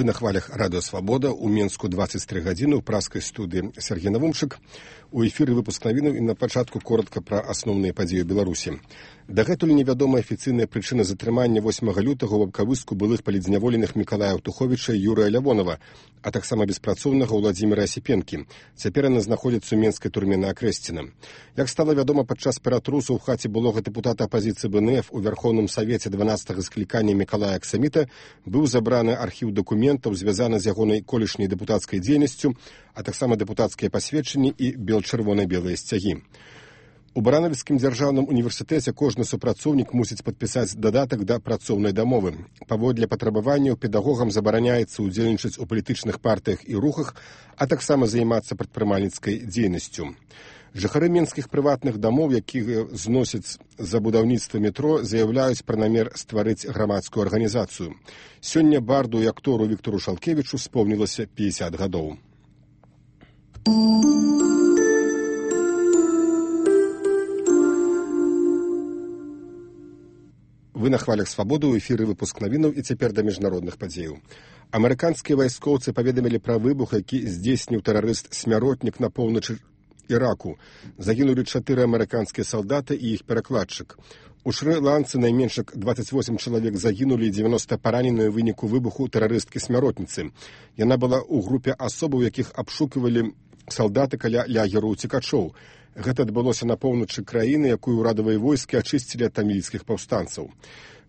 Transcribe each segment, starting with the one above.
Вы на хвалях радыё Свабода, у Менску 23 гадзіны, у праскай студыі Сергей Навумчык. У эфіры выпуск навінаў і на пачатку коротка пра асноўныя падзеі Беларусі. Дагэтуль невядома афіцыйная прычына затрымання 8 лютага ў абкавыску былых палітзняволеных Мікалая Аўтуховіча і Юрыя Лявонова, а таксама беспрацоўнага Ўладзіміра Асіпенкі. Цяпер яны знаходзяцца ў менскай турме на Акрэсціна. Як стала вядома падчас ператрусу ў хаце былога дэпутата апазіцыі БНФ у Вярхоўным Савеце 12-га склікання Мікалая Аксаміта, быў забраны архіў дакументаў, звязаны з ягонай колішняй дэпутацкай дзейнасцю, а таксама дэпутацкія пасведчанні і чырвона-белыя сцягі. У Баранавіцкім дзяржаўным універсітэце кожны супрацоўнік мусіць падпісаць дадатак да працоўнай дамовы. Паводле патрабаванняў педагогам забараняецца ўдзельнічаць у палітычных партыях і рухах, а таксама займацца прадпрымальніцкай дзейнасцю. Жыхары менскіх прыватных дамоў, якія зносяць за будаўніцтва метро, заяўляюць пра намер стварыць грамадскую арганізацыю. Сёння барду і актору Віктору Шалкевічу спомнілася 50 гадоў. Вы на хвалях Свабоды, у эфіры выпуск навінаў і цяпер да міжнародных падзеяў. Амерыканскія вайскоўцы паведамілі пра выбух, які здзейсніў тэрарыст-смяротнік на поўначы Іраку. Загінулі 4 амерыканскія салдаты і іх перакладчык. У Шры-Ланцы найменш 28 чалавек загінулі і 90 паранены ў выніку выбуху тэрарысткі-смяротніцы. Яна была ў групе асобаў, якіх абшукивалі салдаты каля лагеру ўцекачоў. Гэта адбылося на поўначы краіны, якую ўрадавыя войскі ачысцілі ад тамільскіх паўстанцаў.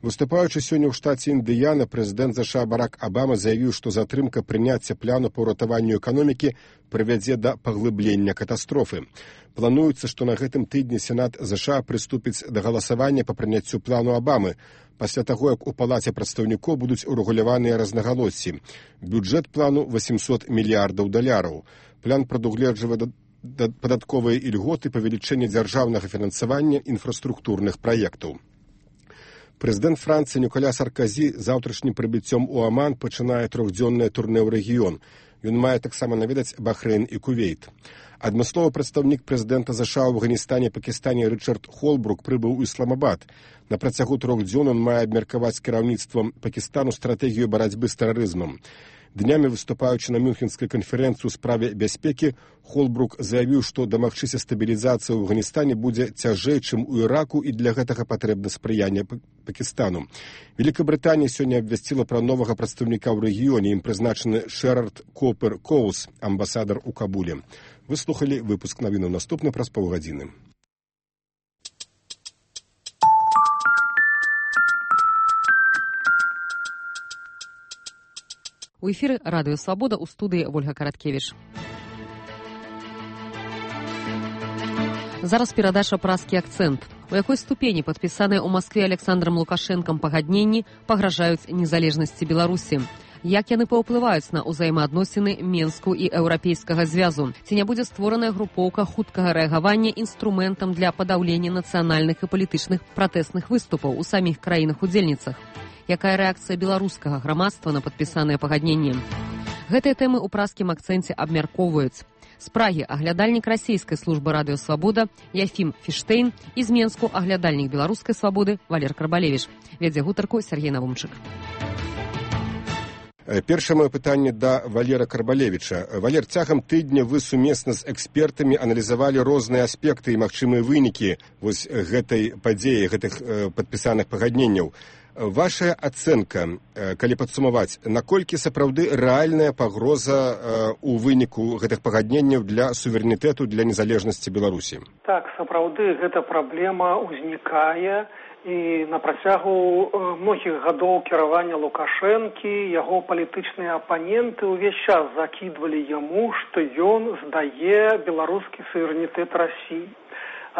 Выступаючы сёння ў штаце Індыяна, прэзідэнт ЗША Барак Абама заявіў, што затрымка прыняцця плану па ўратаванню эканомікі прывядзе да паглыблення катастрофы. Плануецца, што на гэтым тыдні Сенат ЗША прыступіць да галасавання па прыняццю плану Абамы, пасля таго, як у палаце прадстаўнікоў будуць урэгуляваныя рознагалоссі. Бюджэт плану $800 мільярдаў. План прадугледжвае падатковыя ільготы, павелічэнне дзяржаўнага фінансавання інфраструктурных праектаў. Прэзідэнт Францыі Ніколя Сарказі заўтрашнім прыбыццём у Аман пачынае 3-дзённае турнэ ў рэгіён. Ён мае таксама наведаць Бахрэйн і Кувейт. Адмысловы прадстаўнік прэзідэнта ЗША ў Афганістане і Пакістане Рычард Холбрук прыбыў у Ісламабад. На працягу 3 дзён ён мае абмеркаваць кіраўніцтвам Пакістану стратэгію барацьбы з тэрарызмам. Днямі, выступаючы на Мюнхенскай канферэнцыі ў справе бяспекі, Холбрук заявіў, што дамагчыся стабілізацыі ў Афганістане будзе цяжэй, чым у Іраку, і для гэтага патрэбна спрыянне Пакістану. Великабрытанія сёння абвясціла пра новага прадстаўніка ў рэгіёне, ім прызначаны Шэрард Копер Коус, амбасадар у Кабуле. Вы слухалі выпуск навінаў, наступны праз паўгадзіны. У эфіры радыё Свабода, у студыі Вольга Караткевіч. Зараз перадача «Праскі акцэнт». У якой ступені падпісаныя ў Маскве Александрам Лукашэнкам пагадненні пагражаюць незалежнасці Беларусі? Як яны паўплываюць на ўзаемаадносіны Менску і Еўрапейскага звязу? Ці не будзе створаная групоўка хуткага рэагавання інструментам для падаўлення нацыянальных і палітычных пратэсных выступаў у саміх краінах-удзельніцах? Якая рэакцыя беларускага грамадства на падпісаныя пагадненні? Гэтыя тэмы ў праскім акцэнце абмяркоўваюць. З Прагі аглядальнік расійскай службы радыё Свабода Яфім Фіштейн і з Менску аглядальнік беларускай свабоды Валер Карбалевіч. Вядзе гутарку Сергей Навумчык. Першае маё пытанне да Валера Карбалевіча. Валер, цягам тыдня вы сумесна з экспертамі аналізавалі розныя аспекты і магчымыя вынікі вось гэтай падзеі, гэтых падпісаных пагадненняў. Ваша ацэнка, калі падсумаваць, наколькі сапраўды рэальная пагроза у выніку гэтых пагадненняў для суверэнітэту, для незалежнасці Беларусі? Так, сапраўды гэта праблема ўзнікае, і на працягу многіх гадоў кіравання Лукашэнкі яго палітычныя апаненты ўвесь час закідвалі яму, што ён здае беларускі суверэнітэт Расіі.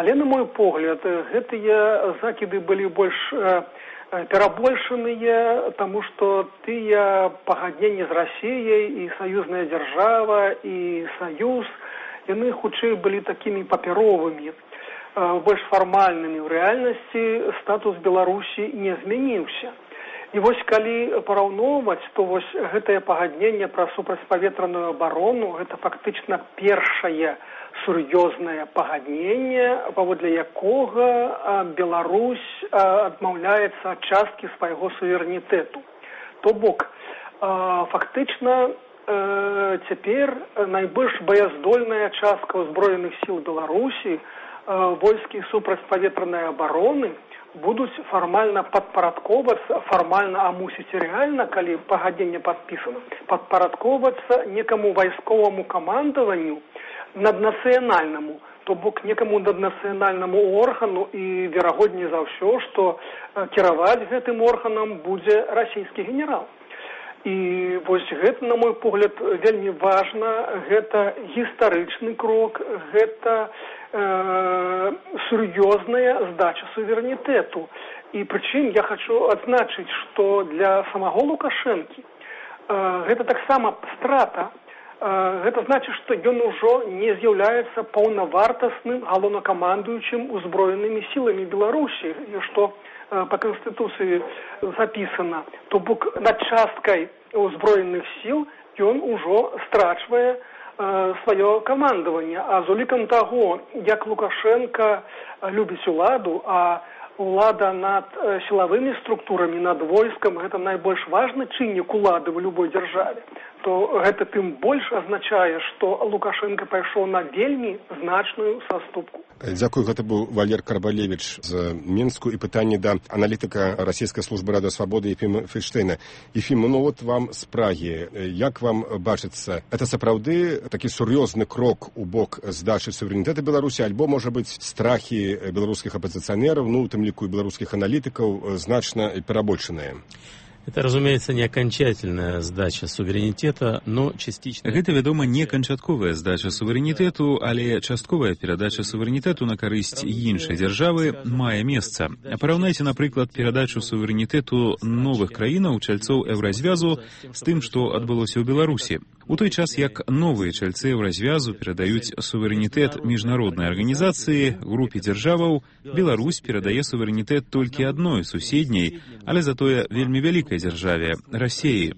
Але, на мой погляд, гэтыя закіды былі больш перабольшаныя, таму што тыя пагадненні з Расіяй і саюзная дзяржава і саюз, яны хутчэй былі такімі папяровымі, больш фармальнымі. У рэальнасці статус Беларусі не змяніўся. І вось калі параўноўваць, то вось гэтае пагадненне пра супрацьпаветраную абарону, гэта фактычна першае сур'ёзнае пагадненне, паводле якога Беларусь адмаўляецца ад часткі свайго суверэнітэту. То бок, фактычна цяпер найбольш баяздольная частка ўзброеных сіл Беларусі, войскі супрацьпаветранай абароны, будуць фармальна падпарадковацца, фармальна, а мусіць і рэальна, калі пагадненне падпісана, падпарадковацца некаму вайсковаму камандаванню наднацыянальнаму, то бок некаму наднацыянальнаму органу, і верагодней за ўсё, што кіраваць гэтым органам будзе расійскі генерал. І вось гэта, на мой погляд, вельмі важна, гэта гістарычны крок, гэта сур'ёзная здача суверэнітэту. І прычым я хочу адзначыць, што для самого Лукашэнкі гэта таксама страта. Гэта значыць, што ён ужо не з'яўляецца паўнавартасным галоўнакамандуючым узброенымі сіламі Беларусі, што по Конституції записано, то бок над часткай узброеных сил ён ужо страчвае свое камандаванне. А з улікам таго, як Лукашенко любіць уладу, а улада над сілавымі структурамі, над войскам, гэта найбольш важны чыннік улады в любой дзяржаве, то гэта тым больш азначае, што Лукашенко пайшоў на вельмі значную саступку. Дзякую, гэта быў Валер Карбалевіч з Мінску, і пытанне да аналітыка расійскай службы Радыё Свабоды Ефіма Фельштейна. Ефім, ну от вам з Прагі. Як вам бачыцца, это сапраўды такі сур'ёзны крок у бок здачы суверэнітэта Беларусі, альбо, можа быць, страхі беларускіх апазіцыянераў, ну, у тым ліку і беларускіх аналітыкаў, значна перабольшаныя? Это, разумеется, не окончательная сдача суверенитета, но частично. Гэта, вядома, не канчатковая здача суверэнітэту, але частковая перадача суверэнітэту на карысць іншай дзяржавы мае месца. Параўнайце, напрыклад, перадачу суверэнітэту новых краінаў, чальцоў Еўразвязу, з тым, што адбылося ў Беларусі. У той час, як новыя чальцы Еўразвязу перадаюць суверэнітэт міжнароднай арганізацыі, групе дзяржаваў, Беларусь перадае суверэнітэт толькі адной суседняй, але затое вельмі вялікай дзяржаве – Расіі.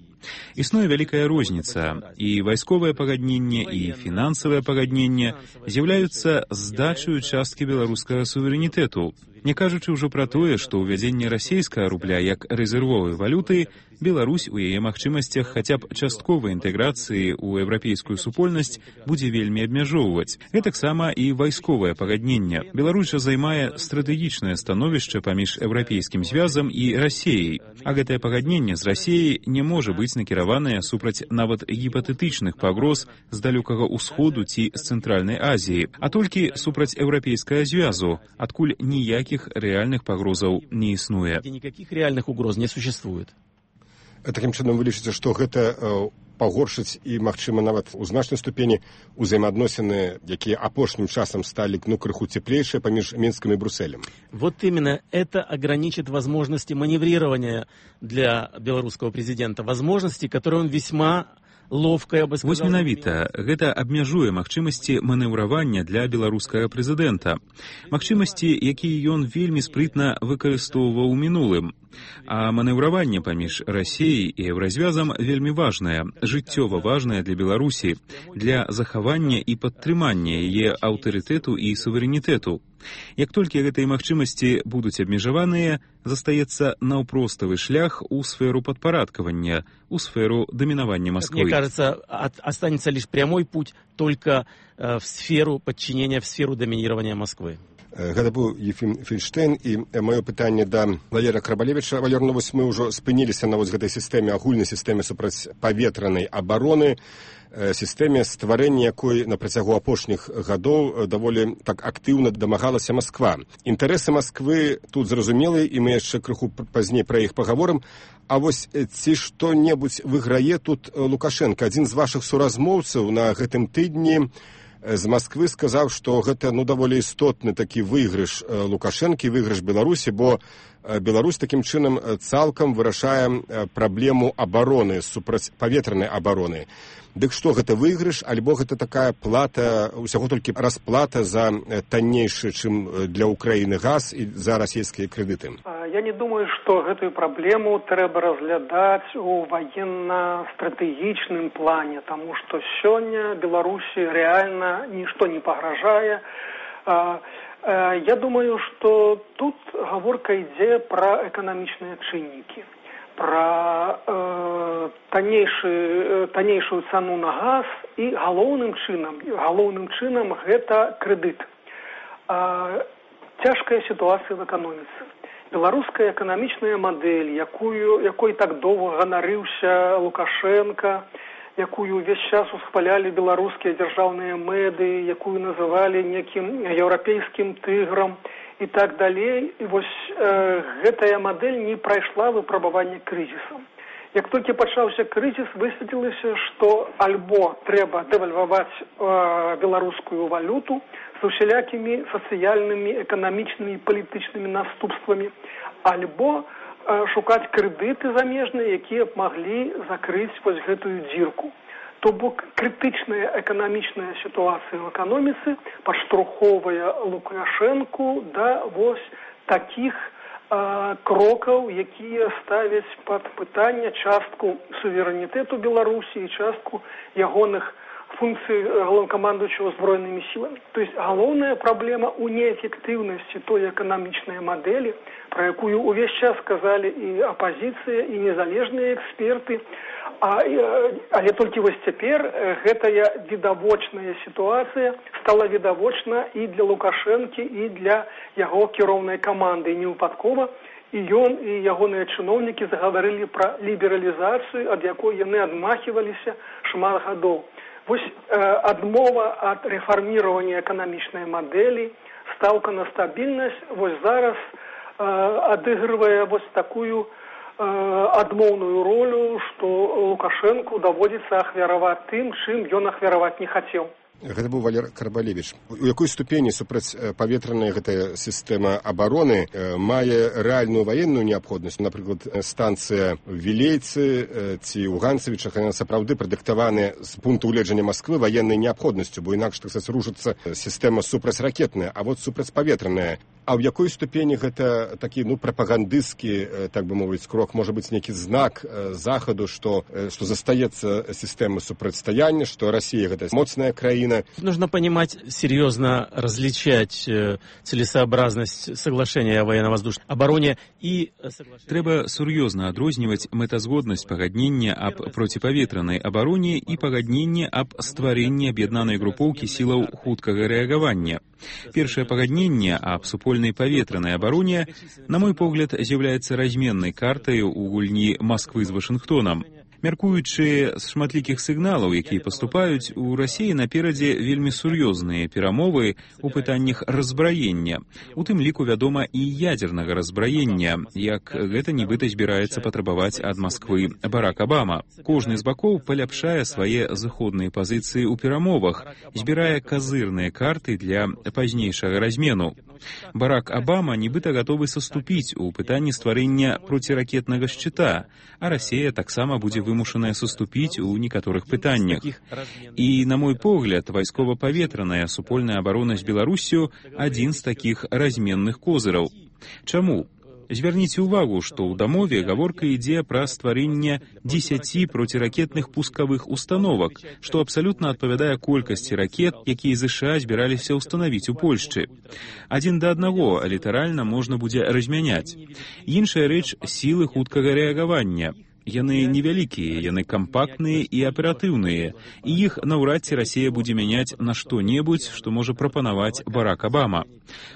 Існуе вялікая розніца, і вайсковае пагадненне, і фінансавае пагадненне з'яўляюцца здачаю часткі беларускага суверэнітэту, не кажучы ўжо пра тое, што ўвядзенне расійскага рубля як рэзервовай валюты Беларусь у яе магчымасцях хаця б частковай інтэграцыі ў еўрапейскую супольнасць будзе вельмі абмяжоўваць. Гэтаксама і вайсковае пагадненне. Беларусь жа займае стратэгічнае становішча паміж Еўрапейскім звязам і Расіяй, а гэтае пагадненне з Расіяй не можа быць накіраванае супраць нават гіпатэтычных пагроз з далёкага ўсходу ці з Цэнтральнай Азіі, а толькі супраць Еўрапейскага звязу, адкуль ніякіх рэальных пагрозаў не існуе. Никаких реальных угроз не существует. Такім чынам вы лічыце, што гэта пагоршыць і, магчыма, нават у значнай ступені ўзаемаадносіны, якія апошнім часам сталі крыху цеплейшыя паміж Мінскам і Брюсселем? Вот именно это ограничит возможности маневрирования для белорусского президента, возможности, которые он весьма ловка, я бы сказал. Вось менавіта, гэта абмяжуе магчымасці манеўравання для беларускага прэзідэнта. Магчымасці, якія ён вельмі спрытна выкарыстоўваў у мінулым. А манеўраванне паміж Расіяй і Еўразвязам вельмі важнае, жыццёва важнае для Беларусі, для захавання і падтрымання яе аўтарытэту і суверэнітэту. Як толькі гэтыя магчымасці будуць абмежаваныя, застаецца наўпроставы шлях у сферу падпарадкавання, у сферу дамінавання Москвы. Мне кажется, останется лишь прямой путь только в сферу подчинения, в сферу доминирования Москвы. Гэта быў Ефім Фельштейн, і маё пытанне да Валера Карбалевіча. Валер, ну вось мы ўжо спыніліся на вось гэтай сістэме, агульнай сістэме супрацьпаветранай абароны, сістэме, стварэння якой на працягу апошніх гадоў даволі так актыўна дамагалася Масква. Інтарэсы Масквы тут зразумелыя, і мы яшчэ крыху пазней пра іх пагаворым. А вось ці што-небудзь выйграе тут Лукашенко? Адзін з вашых суразмоўцаў на гэтым тыдні з Масквы сказаў, што гэта даволі істотны такі выйгрыш Лукашэнкі, выйгрыш Беларусі, бо Беларусь такім чынам цалкам вырашае праблему абароны, супрацьпаветранай абароны. Дык што, гэта выйгрыш, альбо гэта такая плата, усяго толькі расплата за таннейшы, чым для Украіны газ і за расійскія крэдыты? Я не думаю, што гэтую праблему трэба разглядаць у военно-стратэгічным плане, таму што сёння Беларусі рэальна нішто не пагражае. Я думаю, што тут гаворка ідзе пра эканамічныя чыннікі. пра таннейшую цану на газ і галоўным чынам гэта крэдыт. Цяжкая сітуацыя в эканоміцы. Беларуская эканамічная мадэль, якой так доўга ганарыўся Лукашенко, якую ўвесь час усхвалялі беларускія дзяржаўныя мэды, якую называлі некім еўрапейскім тыграм і так далей. І вось гэтая мадэль не прайшла выпрабаванне крызісам. Як толькі пачаўся крызіс, высветлілася, што альбо трэба дэвальваваць беларускую валюту з усялякімі сацыяльнымі, эканамічнымі і палітычнымі наступствамі, альбо шукаць крэдыты замежныя, якія б маглі закрыць вось гэтую дзірку. То бок крытычная эканамічная сітуацыя в эканоміцы падштурхоўвае Лукашэнку да вось такіх крокаў, якія ставяць пад пытанне частку суверэнітэту Беларусі і частку ягоных функцый галоўнакамандуючага збройнымі сіламі. То есть галоўная праблема ў неэфектыўнасці той эканамічнай мадэлі, пра якую ўвесь час сказалі і апазіцыя, і незалежныя эксперты, але толькі вось цяпер гэтая відавочная сітуацыя стала відавочна і для Лукашэнкі, і для яго кіроўнай каманды. І невыпадкова і ён, і ягоныя чыноўнікі загаварылі пра лібералізацыю, ад якой яны адмахіваліся шмат гадоў. Вось адмова ад рэфарміравання эканамічнай мадэлі, стаўка на стабільнасць, вось зараз адыгрывае вось такую адмоўную ролю, што Лукашэнку даводзіцца ахвяраваць тым, чым ён ахвяраваць не хацеў. Гэта быў Валер Карбалевіч. У якой ступені супрацьпаветраная гэтая сістэма абароны мае рэальную ваенную неабходнасць? Напрыклад, станцыя в Вілейцы ці ў Ганцавічах, яны сапраўды прадыктаваны з пункту гледжання Масквы ваеннай неабходнасцю, бо інакш, так сказаць, рушыцца сістэма супрацьракетная, а вот супрацьпаветраная. А ў якой ступені гэта такі, прапагандысцкі, так бы мовіць, крок, можа быць нейкі знак захаду, што застаецца сістэма супрацьстаяння, што Расія гэта моцная краіна? Нужно понимать, серьезно различать целесообразность соглашения о военно-воздушной обороне и соглашения. Трэба сур'ёзна адрозніваць мэтазгоднасць пагаднення аб проціпаветранай абароне і пагаднення аб стварэнні аб'яднанай групоўкі сілаў хуткага рэагавання. Першае пагадненне аб супольнай паветранай абароне, на мой погляд, з'яўляецца разменнай картай у гульні Масквы з Вашынгтонам. Мяркуючы з шматлікіх сігналаў, якія паступаюць, у Расіі наперадзе вельмі сур'ёзныя перамовы ў пытаннях разбраення. У тым ліку, вядома, і ядзернага разбраення, як гэта нібыта збіраецца патрабаваць ад Масквы Барак Абама. Кожны з бакоў паляпшае свае заходныя пазіцыі ў перамовах, збірае казырныя карты для пазнейшага размену. Барак Абама нібыта гатовы саступіць у пытанні стварэння проціракетнага шчыта, а Расія таксама будзе вымушаная саступіць у некаторых пытаннях. І, на мой погляд, вайскова-паветраная супольная абарона з Беларуссю адзін з такіх разменных козыраў. Чаму? Звярніце ўвагу, што ў дамове гаворка ідзе пра стварэнне 10 проціракетных пускавых установак, што абсалютна адпавядае колькасці ракет, якія ЗША збіраліся ўстанавіць у Польшчы. 1 да 1 літаральна можна будзе размяняць. Іншая рэч — сілы хуткага рэагавання. Яны невялікія, яны кампактныя і аператыўныя, і іх наўрад ці Расія будзе мяняць на што-небудзь, што можа прапанаваць Барак Абама.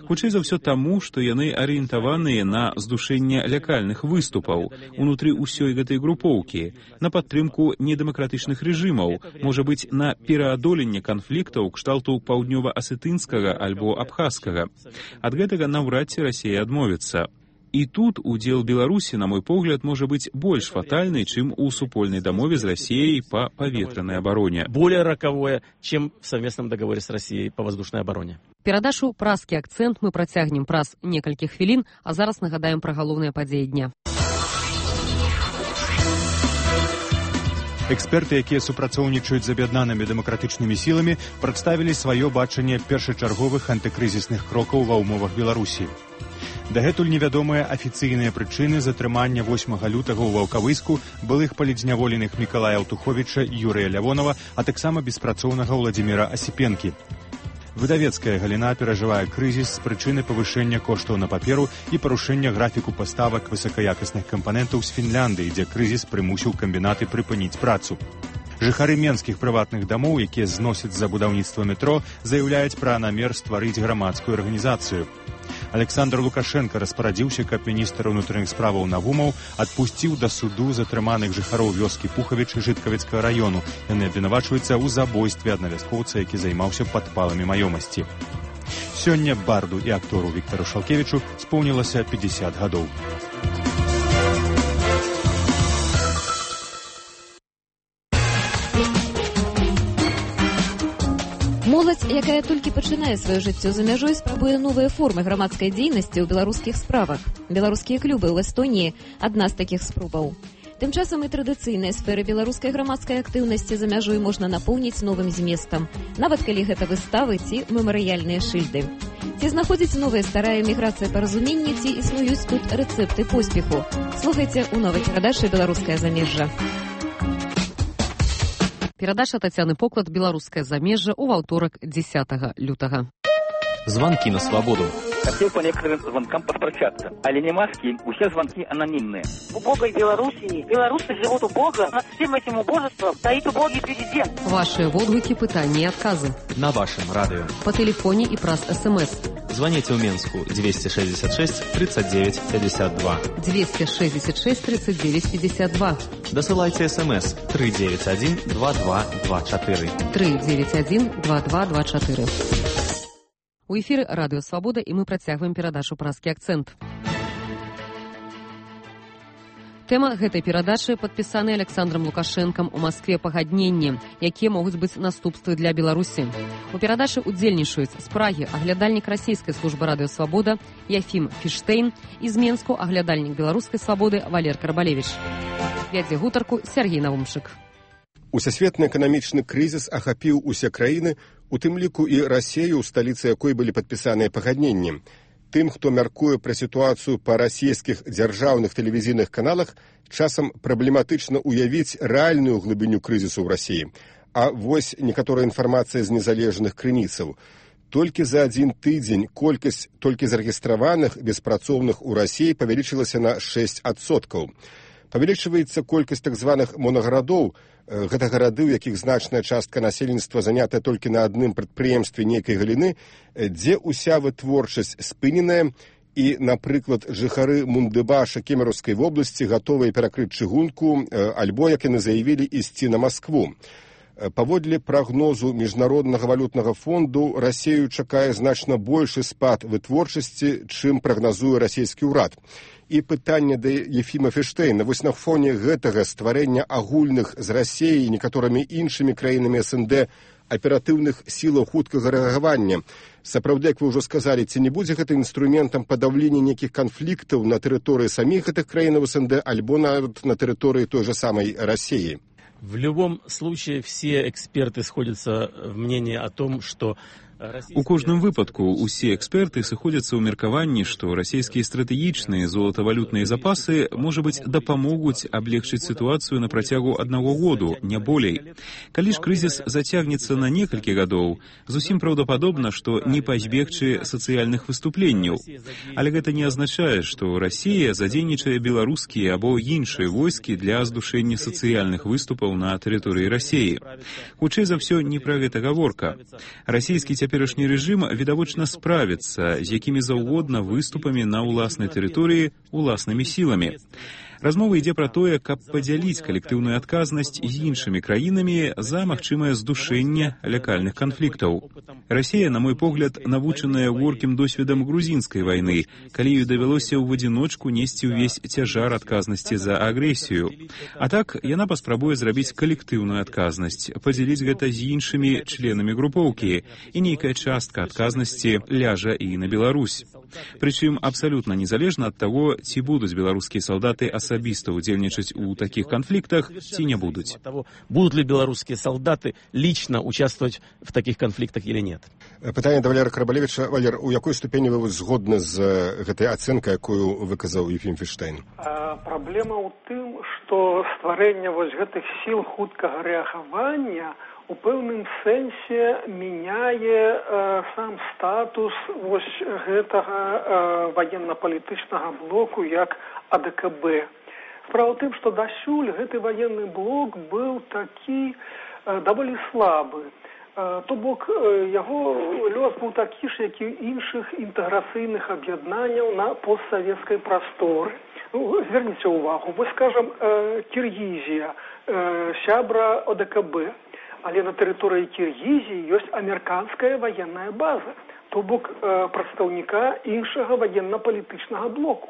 Хутчэй за ўсё таму, што яны арыентаваныя на здушэнне лякальных выступаў унутры ўсёй гэтай групоўкі, на падтрымку недэмакратычных рэжымаў, можа быць, на пераадоленне канфліктаў кшталту паўднёва-асетынскага альбо абхазскага. Ад гэтага наўрад ці Расія адмовіцца. І тут удзел Беларусі, на мой погляд, можа быць больш фатальны, чым у супольнай дамове з Расіяй па паветранай абароне. Более роковое, чем в совместном договоре с Россией по воздушной обороне. Перадачу «Празкі акцэнт» мы працягнем праз некалькі хвілін, а зараз нагадаем пра галоўныя падзеі дня. Эксперты, якія супрацоўнічаюць з аб'яднанымі дэмакратычнымі сіламі, прадставілі сваё бачанне першачарговых антыкрызісных крокаў ва ўмовах Беларусі. Дагэтуль невядомыя афіцыйныя прычыны затрымання 8 лютага ў Ваўкавыску былых палідзняволеных Мікалая Аўтуховіча і Юрыя Лявонава, а таксама беспрацоўнага Владзіміра Асіпенкі. Выдавецкая галіна перажывае крызіс з прычыны павышэння коштаў на паперу і парушэння графіку паставак высакаякасных кампанентаў з Фінляндыі, дзе крызіс прымусіў камбінаты прыпыніць працу. Жыхары менскіх прыватных дамоў, якія зносяць за будаўніцтва метро, заяўляюць пра намер стварыць грамадскую арганізацыю. Александр Лукашенко распарадзіўся, каб міністр унутраных справаў Навумаў адпусціў да суду затрыманых жыхароў вёскі Пухавіч Жыткавіцкага району. Яны абвінавачваюцца ў забойстве аднавяскоўца, які займаўся падпаламі маёмасці. Сёння барду і актору Віктару Шалкевічу споўнілася 50 гадоў. Моладзь, якая толькі пачынае сваё жыццё за мяжой, спрабуе новыя формы грамадскай дзейнасці ў беларускіх справах. Беларускія клубы ў Эстоніі – адна з такіх спробаў. Тым часам і традыцыйныя сферы беларускай грамадскай актыўнасці за мяжой можна напоўніць новым зместам, нават калі гэта выставы ці мемарыяльныя шыльды. Ці знаходзіць новая старая міграцыя паразуменні, ці існуюць тут рэцэпты поспеху? Слухайце ў новай перадачы «Беларускае замежжа». Перадача Тацяны Поклад «Беларускае замежжа» у аўторак 10 лютага. Звонки на свободу. Хотел по некоторым звонкам поспрощаться. Але не маски, все звонки анонимные. В убогой Белоруссии белорусы живут убого. Над всем этим убожеством стоит убогий президент. Ваши водгуки, пытания и отказы. На вашем радио. По телефоне и праз СМС. Звоните в Минску 266 39 52. 266 39 52. Досылайте СМС 391 2224. 391 2224. У эфіры Радыё Свабода, і мы працягваем перадачу «Празкі акцэнт». Тэма гэтай перадачы падпісаны Александром Лукашэнкам у Маскве пагадненні, якія могуць быць наступствы для Беларусі. У перадачы удзельнічаюць з Прагі аглядальнік расійскай службы Радыё Свабода Яфім Фіштейн і з Менску аглядальнік беларускай свабоды Валер Карбалевіч. Вядзе гутарку Сергей Навумшык. Усесветны эканамічны крызіс ахапіў усе краіны, у тым ліку і Расею, у сталіцы якой былі падпісаныя пагадненні. Тым, хто мяркуе пра сітуацыю па расійскіх дзяржаўных тэлевізійных каналах, часам праблематычна ўявіць рэальную глыбіню крызісу ў Расіі. А вось некаторая інфармацыя з незалежных крыніцаў. Толькі за адзін тыдзень колькасць толькі зарэгістраваных беспрацоўных у Расіі павялічылася на 6%. Павялічваецца колькасць так званых монагарадоў. Гэта гарады, у якіх значная частка насельніцтва занятая толькі на адным прадпрыемстве нейкай галіны, дзе ўся вытворчасць спыненая, і, напрыклад, жыхары Мундыбаша Кемераўскай вобласці гатовыя перакрыць чыгунку, альбо, як яны заявілі, ісці на Маскву. Паводле прагнозу Міжнароднага валютнага фонду, Расею чакае значна большы спад вытворчасці, чым прагназуе расійскі ўрад. І пытанне да Ефіма Фіштейна. Вось на фоне гэтага стварэння агульных з Расіяй і некаторымі іншымі краінамі СНД аператыўных сілаў хуткага рэагавання. Сапраўды, як вы ўжо сказалі, ці не будзе гэта інструментам падаўлення нейкіх канфліктаў на тэрыторыі саміх гэтых краінаў СНД альбо нават на тэрыторыі той же самой Расіі? В любом случае все эксперты сходятся в мнении о том, что У кожным выпадку усе эксперты сыходзяцца ў меркаванні, што расійскія стратэгічныя золатавалютныя запасы, можа быць, дапамогуць аблегчыць сітуацыю на працягу 1 году, не болей. Калі ж крызіс зацягнецца на некалькі гадоў, зусім праўдападобна, што не пазбегчы сацыяльных выступленняў. Але гэта не азначае, што Расія задзейнічае беларускія або іншыя войскі для здушэння сацыяльных выступаў на тэрыторыі Расіі. Хутчэй за ўсё, не пра гэта гаворка. Расійскі цяперашні рэжым відавочна справіцца з якімі заўгодна выступамі на ўласнай тэрыторыі уласнымі сіламі. Размова ідзе пра тое, каб падзяліць калектыўную адказнасць з іншымі краінамі за магчымае здушэнне лякальных канфліктаў. Расія, на мой погляд, навучаная горкім досведам грузінскай вайны, калі ёй давялося ў адзіночку несці ўвесь цяжар адказнасці за агрэсію. А так, яна паспрабуе зрабіць калектыўную адказнасць, падзяліць гэта з іншымі членамі групоўкі, і нейкая частка адказнасці ляжа і на Беларусь. Прычым абсалютна незалежна ад таго, ці будуць беларускія салдаты асабіста удзельнічаць у такіх канфліктах, ці не будуць. Будут ли белорусские солдаты лично участвовать в таких конфликтах или нет? Пытанне да Валера Карбалевіча. Валер, у якой ступені вы згодны з гэтай ацэнкай, якую выказаў Ефім Фіштейн? Праблема ў тым, што стварэнне вось гэтых сіл хуткага рэагавання у пэўным сэнсе мяняе сам статус вось гэтага ваенна-палітычнага блоку як АДКБ. Справа ў тым, што дасюль гэты ваенны блок быў такі даволі слабы. То бок яго лёс быў такі ж, як і іншых інтэграцыйных аб'яднанняў на постсавецкай прасторы. Зверніце ўвагу, вось, скажам, Кіргізія, сябра ОДКБ, але на тэрыторыі Кіргізіі ёсць амерыканская ваенная база, то бок прадстаўніка іншага ваенна-палітычнага блоку.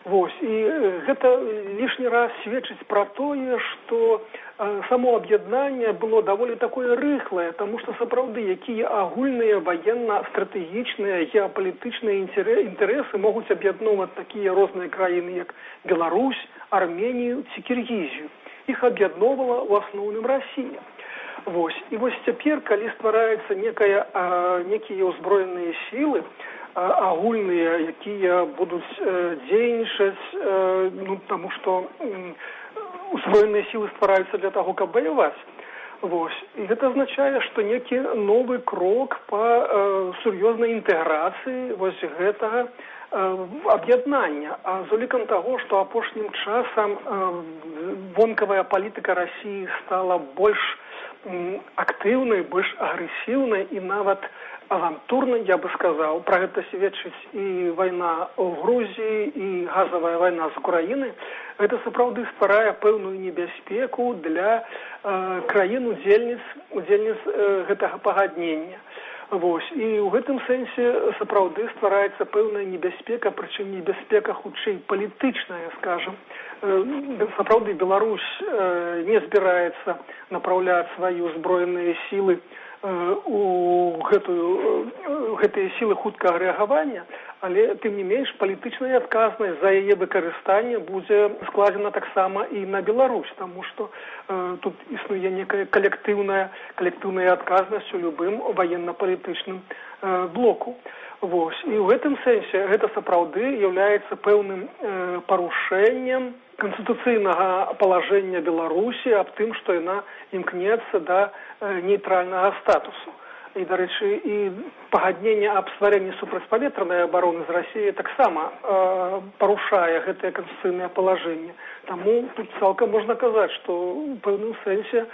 Вось, і гэта лішні раз сведчыць пра тое, што само аб'яднанне было даволі такое рыхлае, таму што сапраўды якія агульныя ваенна-стратэгічныя геапалітычныя інтарэсы могуць аб'ядноўваць такія розныя краіны, як Беларусь, Арменію ці Кіргізію. Іх аб'ядноўвала ў асноўным Расія. Вось, і вось цяпер, калі ствараецца некія ўзброеныя сілы, агульныя, якія будуць дзейнічаць, таму што узброеныя сілы ствараюцца для таго, каб ваяваць. Вось. І гэта азначае, што некі новы крок па сур'ёзнай інтэграцыі вось гэтага аб'яднання. А з улікам таго, што апошнім часам вонкавая палітыка Расіі стала больш актыўнай, больш агрэсіўнай і нават авантурнай, я бы сказаў. Пра гэта сведчыць і вайна ў Грузіі, і газавая вайна з Украіны. Гэта сапраўды стварае пэўную небяспеку для краін-удзельніц гэтага пагаднення. Вось. І ў гэтым сэнсе сапраўды ствараецца пэўная небяспека, прычым небяспека хутчэй палітычная, скажам. Сапраўды Беларусь не збіраецца напраўляць свае ўзброеныя сілы у гэтыя сілы хуткага рэагавання, але тым не менш палітычная адказнасць за яе выкарыстанне будзе складзена таксама і на Беларусь, таму што тут існуе некая калектыўная адказнасць у любым ваенна-палітычным блоку. Вось. І ў гэтым сэнсе гэта сапраўды з'яўляецца пэўным парушэннем канстытуцыйнага палажэння Беларусі аб тым, што яна імкнецца да нейтральнага статусу. І, дарэчы, і пагадненне аб стварэнні супрацьпаветранай абароны з Расіяй таксама парушае гэтае канстытуцыйнае палажэнне. Таму тут цалкам можна казаць, што ў пэўным сэнсе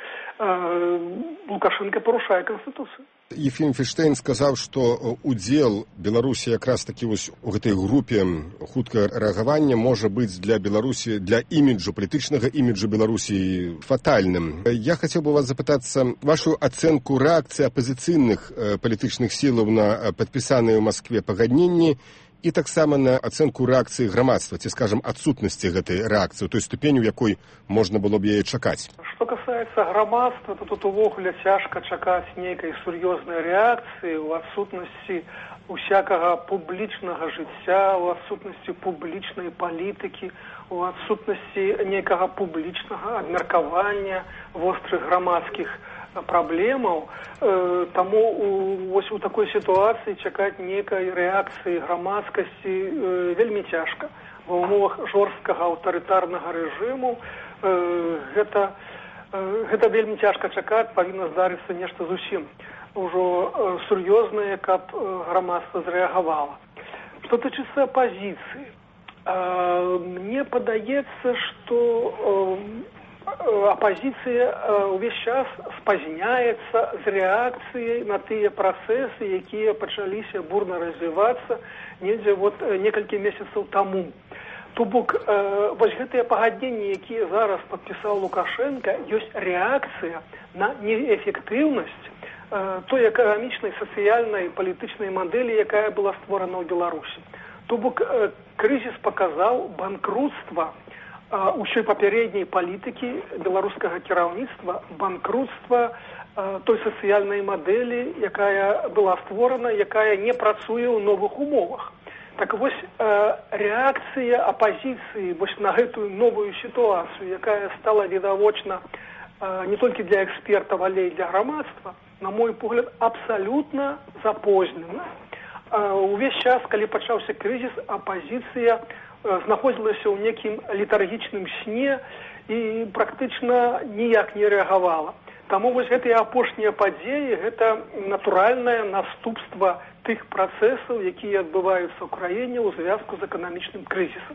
Лукашенко парушае канстытуцыю. Ефім Фельштейн сказаў, што удзел Беларусі якраз такі вось у гэтай групе хуткага рэагавання можа быць для Беларусі, для іміджу, палітычнага іміджу Беларусі фатальным. Я хацеў бы вас запытацца вашу ацэнку рэакцыі апазіцыйных палітычных сілаў на падпісаныя ў Маскве пагадненні і таксама на ацэнку рэакцыі грамадства, ці, скажам, адсутнасці гэтай рэакцыі, той ступені, у якой можна было б яе чакаць. Што касаецца грамадства, то тут увогуле цяжка чакаць нейкай сур'ёзнай рэакцыі ў адсутнасці усякага публічнага жыцця, у адсутнасці публічнай палітыкі, у адсутнасці нейкага публічнага абмеркавання вострых грамадскіх праблемаў. Таму вось у такой сітуацыі чакаць нейкай рэакцыі грамадскасці вельмі цяжка. Ва ўмовах жорсткага аўтарытарнага рэжыму гэта вельмі цяжка чакаць, павінна здарыцца нешта зусім ужо сур'ёзнае, каб грамадства зрэагавала. Што тычыцца апазіцыі, мне падаецца, што апазіцыя ўвесь час спазняецца з рэакцыяй на тыя працэсы, якія пачаліся бурна развівацца недзе некалькі месяцаў таму. То бок, вось гэтыя пагадненні, якія зараз падпісаў Лукашенко, ёсць рэакцыя на неэфектыўнасць той эканамічнай, сацыяльнай, палітычнай мадэлі, якая была створана ў Беларусі. То бок, крызіс паказаў банкрутства ўсёй папярэдняй палітыкі беларускага кіраўніцтва, банкрутства той сацыяльнай мадэлі, якая была створана, якая не працуе ў новых умовах. Так вось рэакцыя апазіцыі вось на гэтую новую сітуацыю, якая стала відавочна не толькі для экспертаў, але і для грамадства, на мой погляд, абсалютна запознена. Увесь час, калі пачаўся крызіс, апазіцыя знаходзілася ў некім летаргічным сне і практычна ніяк не рэагавала. Таму вось гэтыя апошнія падзеі гэта натуральнае наступства тых працэсаў, якія адбываюцца ў краіне ў звязку з эканамічным крызісам.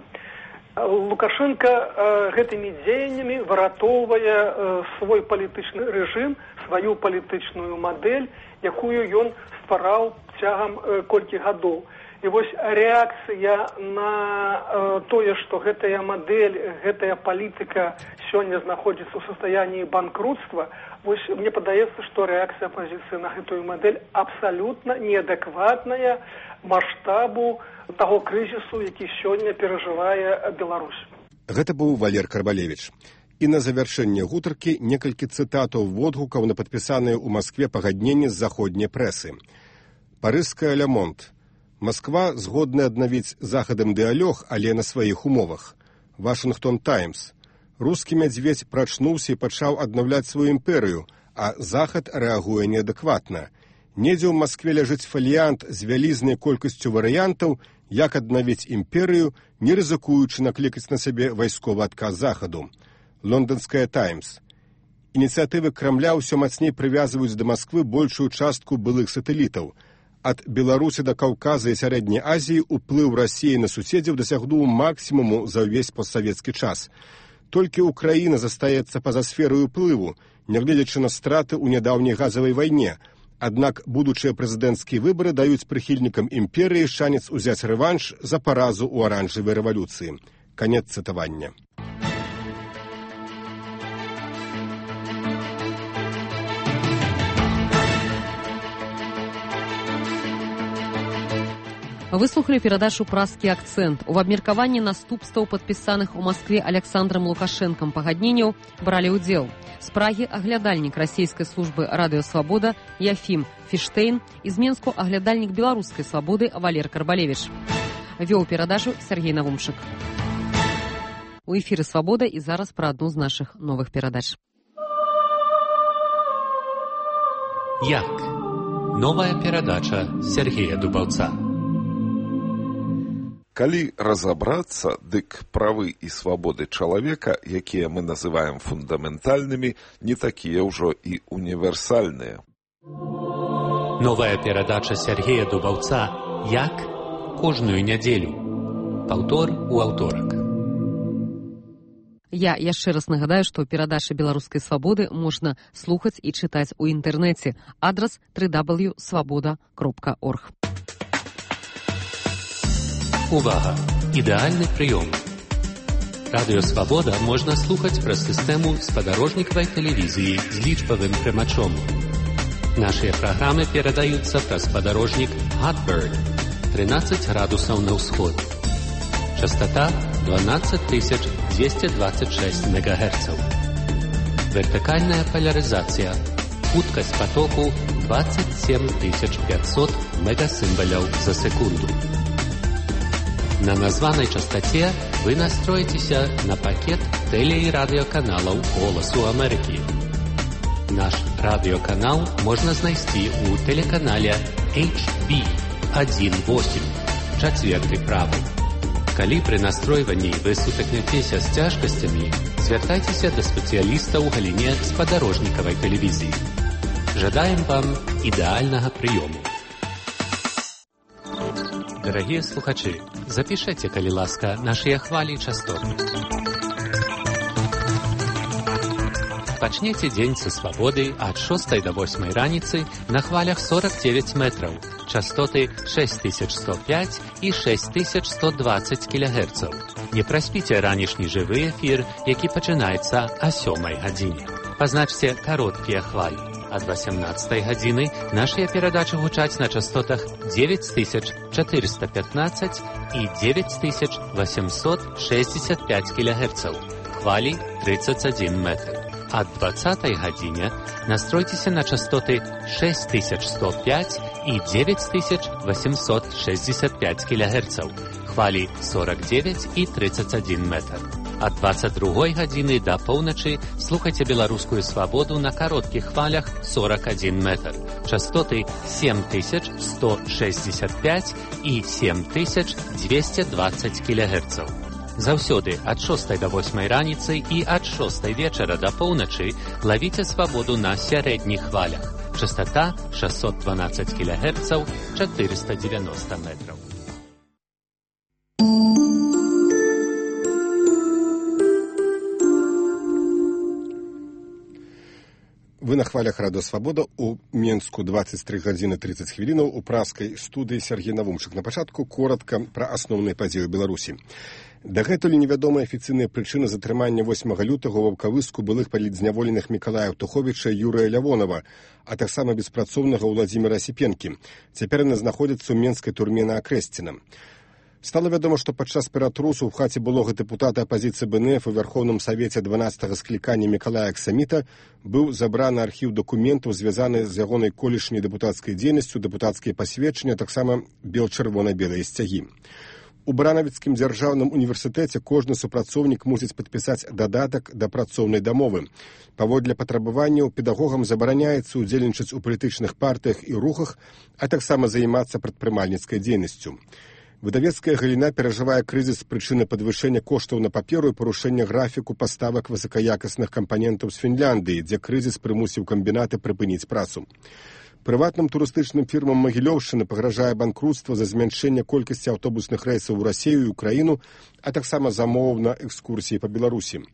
Лукашенко гэтымі дзеяннямі выратоўвае свой палітычны рэжым, сваю палітычную мадэль, якую ён ствараў цягам колькі гадоў. І вось рэакцыя на тое, што гэтая мадэль, гэтая палітыка сёння знаходзіцца ў састаянні банкрутства, вось мне падаецца, што рэакцыя апазіцыі на гэтую мадэль абсалютна неадэкватная маштабу таго крызісу, які сёння перажывае Беларусь. Гэта быў Валер Карбалевіч. І на завяршэнне гутаркі некалькі цытатаў водгукаў на падпісаныя ў Маскве пагадненні з заходняй прэсы. Парыжская «Ле Монт». Москва згодна аднавіць з захадам дыалог, але на сваіх умовах. Вашингтон Таймс. Рускі мядзведзь прачнуўся і пачаў аднаўляць сваю імперыю, а захад рэагуе неадэкватна. Недзе ў Маскве ляжыць фаліянт з вялізнай колькасцю варыянтаў, як аднавіць імперыю, не рызыкуючы наклікаць на сябе вайсковы адказ захаду. Лонданская Таймс. Ініцыятывы Крамля ўсё мацней прывязваюць да Масквы большую частку былых сатэлітаў. Ад Беларусі да Каўказа і Сярэдняй Азіі ўплыў Расіі на суседзяў дасягнуў максімуму за ўвесь постсавецкі час. Толькі Ўкраіна застаецца па-за сферай уплыву, нягледзячы на страты ў нядаўняй газавай вайне. Аднак будучыя прэзідэнцкія выбары даюць прыхільнікам імперыі шанец узяць рэванш за паразу ў аранжавай рэвалюцыі. Канец цытавання. Вы слухали перадачу «Празкі акцэнт». У абмеркаванні наступстваў падпісаных у Маскве Александрам Лукашэнкам пагадненняў бралі ўдзел з Прагі аглядальнік расійскай службы «Радыё Свабода» Яфім Фіштейн і з Менску аглядальнік беларускай свабоды Валер Карбалевіч. Вёў перадачу Сергей Навумшык. У эфіры «Свабода» і зараз пра адну з нашых новых перадач. Як? Новая перадача Сергея Дубаўца. Калі разабрацца, дык правы і свабоды чалавека, якія мы называем фундаментальнымі, не такія ўжо і універсальныя. Новая перадача Сергея Дубаўца «Як?» кожную нядзелю. Паўтор у аўторак. Я яшчэ раз нагадаю, што перадачы беларускай свабоды можна слухаць і чытаць у інтэрнэце. Адрас www.swaboda.org. Увага! Ідэальны прыём. Радыё Свабода можна слухаць праз сістэму спадарожнікавай тэлевізіі з лічбавым прымачом. Нашыя праграмы перадаюцца праз спадарожнік Hotbird 13 градусаў на ўсход. Частота 12226 МГц. Вертыкальная полярызацыя. Хуткасць потоку 27500 мегасімбаляў за секунду. На названай частоце вы настроіцеся на пакет тэле- і радыёканалаў «Голасу Амерыкі». Наш радыёканал можна знайсці ў тэлеканале HB18, чацвертай правай. Калі пры настройванні вы сутыкнецеся з цяжкасцямі, звяртайцеся да спецыяліста ў галіне спадарожнікавай тэлевізіі. Жадаем вам ідэальнага прыёму. Дарагія слухачы, запішэце, калі ласка, нашыя хвалі частот. Пачнеце дзень са свабоды ад 6 до 8 раніцы на хвалях 49 метраў, частоты 6105 і 6120 кГц. Не праспіце ранішні жывы эфір, які пачынаецца о 7 гадзіне. Пазначце кароткія хвалі. Ад 18 гадзіны нашыя перадачы гучаць на частотах 9415 і 9865 кГц. Хвалі 31 метр. Ад 20 гадзіне настройцеся на частоты 6105 і 9865 кГц. Хвалі 49 і 31 метр. Ад 22 гадзіны да поўначы слухайце беларускую свабоду на кароткіх хвалях 41 метр. Частоты 7165 і 7220 кГц. Заўсёды ад 6 до 8 раніцы і ад 6 вечара до поўначы лавіце свабоду на сярэдніх хвалях. Частота 612 кГц, 490 метров. Вы на хвалях Радио Свобода у Менску 23 гадзіны 30 хвілінаў у праскай студыі Сергей Навумчык. На пачатку коротка пра асноўныя падзеі ў Беларусі. Дагэтуль невядомыя афіцыйныя прычыны затрымання 8 лютага ў Ваўкавыску былых палітзняволеных Мікалая Аўтуховіча і Юрыя Лявонова, а таксама беспрацоўнага Ўладзіміра Асіпенкі. Цяпер яны знаходзяцца ў менскай турме на Акрэсціна. Стала вядома, што падчас ператрусу ў хаце былога дэпутата апазіцыі БНФ у Вярхоўным Савеце 12-га склікання Мікалая Аксаміта быў забраны архіў дакументаў, звязаны з ягонай колішняй дэпутацкай дзейнасцю, дэпутацкія пасведчання, таксама бел-чырвона-белыя сцягі. У Баранавіцкім дзяржаўным універсітэце кожны супрацоўнік мусіць падпісаць дадатак да працоўнай дамовы. Паводле патрабаванняў педагогам забараняецца ўдзельнічаць у палітычных партыях і рухах, а таксама займацца прадпрымальніцкай дзейнасцю. Выдавецкая галіна перажывае крызіс з прычыны падвышэння коштаў на паперу і парушэння графіку паставак высокаякасных кампанентаў з Фінляндыі, дзе крызіс прымусіў камбінаты прыпыніць працу. Прыватным турыстычным фірмам Магілёўшчыны пагражае банкрутства за змяншэнне колькасці аўтобусных рэйсаў у Расію і Украіну, а таксама замоваў на экскурсіі па Беларусі.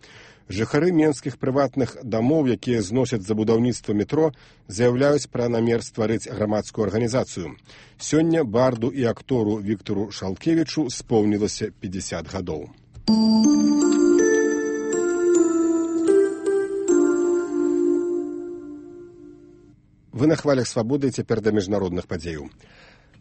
Жыхары менскіх прыватных дамоў, якія зносяць за будаўніцтва метро, заяўляюць пра намер стварыць грамадскую арганізацыю. Сёння барду і актору Віктару Шалкевічу споўнілася 50 гадоў. Вы на хвалях свабоды, цяпер да міжнародных падзеяў.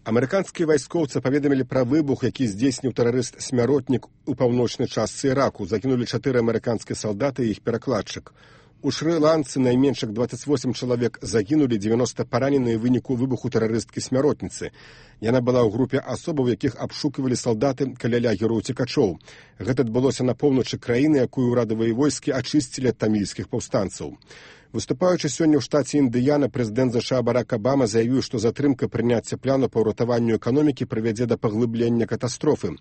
Амерыканскія вайскоўцы паведамілі пра выбух, які здзейсніў тэрарыст-смяротнік у паўночнай частцы Іраку. Загінулі 4 амерыканскія салдаты і іх перакладчык. У Шры-Ланцы найменш 28 чалавек загінулі, 90 параненыя ў выніку выбуху тэрарысткі-смяротніцы. Яна была ў групе асобаў, якіх абшукивалі салдаты каля лагеру ўцекачоў. Гэта адбылося на поўначы краіны, якую ўрадавыя войскі ачысцілі ад тамільскіх паўстанцаў. Выступаючы сёння ў штаце Індыяна, прэзідэнт США Барак Абама заявіў, што затрымка прыняцця плану па ўратаванню эканомікі прывядзе да паглыблення катастрофы.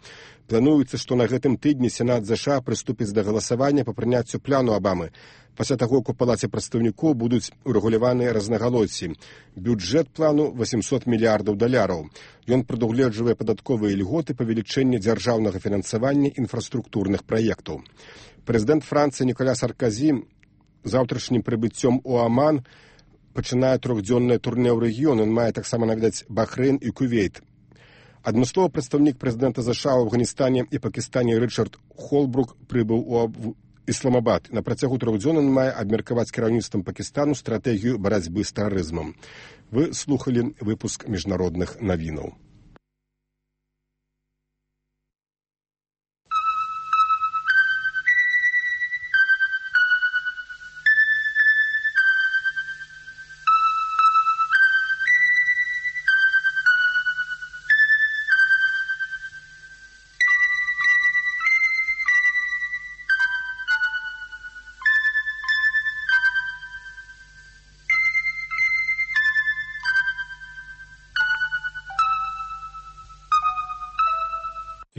Плануецца, што на гэтым тыдні Сенат США прыступіць да галасавання па прыняццю плану Абамы. Пасля таго, як у Палаце прадстаўнікоў будуць урэгуляваныя рознагалоссі. Бюджэт плану $800 мільярдаў. Ён прадугледжвае падатковыя льготы, павелічэнне дзяржаўнага фінансавання інфраструктурных праектаў. Прэзідэнт Францыі Ніколя Саркозі заўтрашнім прыбыццём у Аман пачынае 3-дзённае турне ў рэгіён. Ён мае таксама наведаць Бахрэйн і Кувейт. Адмысловы прадстаўнік прэзідэнта США ў Афганістане і Пакістане Рычард Холбрук прыбыў у Ісламабад. На працягу 3 дзён ён мае абмеркаваць кіраўніцтвам Пакістану стратэгію барацьбы з тэрарызмам. Вы слухалі выпуск міжнародных навінаў.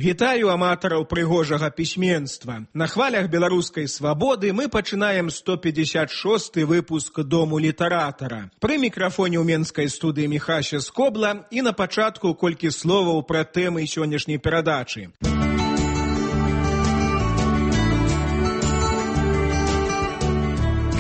Вітаю аматараў прыгожага пісьменства. На хвалях беларускай свабоды мы пачынаем 156-й выпуск Дому літаратара. Пры мікрафоне ў менскай студыі Міхася Скобла і на пачатку колькі словаў пра тэмы сённяшняй перадачы.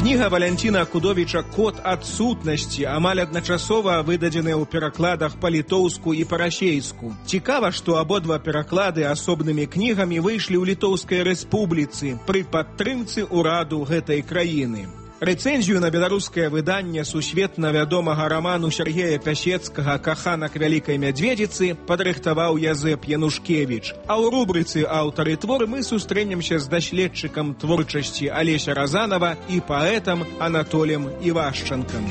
Кніга Валянціна Кудовіча «Код адсутнасці» амаль адначасова выдадзеная ў перакладах па-літоўску і па-расейску. Цікава, што абодва пераклады асобнымі кнігамі выйшлі ў Літоўскай рэспубліцы пры падтрымцы ўраду гэтай краіны. Рэцэнзію на беларускае выданне сусветна вядомага раману Сергея Пясецкага «Каханак вялікай мядзведзіцы» падрыхтаваў Язэп Янушкевіч. А ў рубрыцы «Аўтары твор» мы сустрэнемся з даследчыкам творчасці Алеся Разанова і паэтам Анатолем Івашчанкам.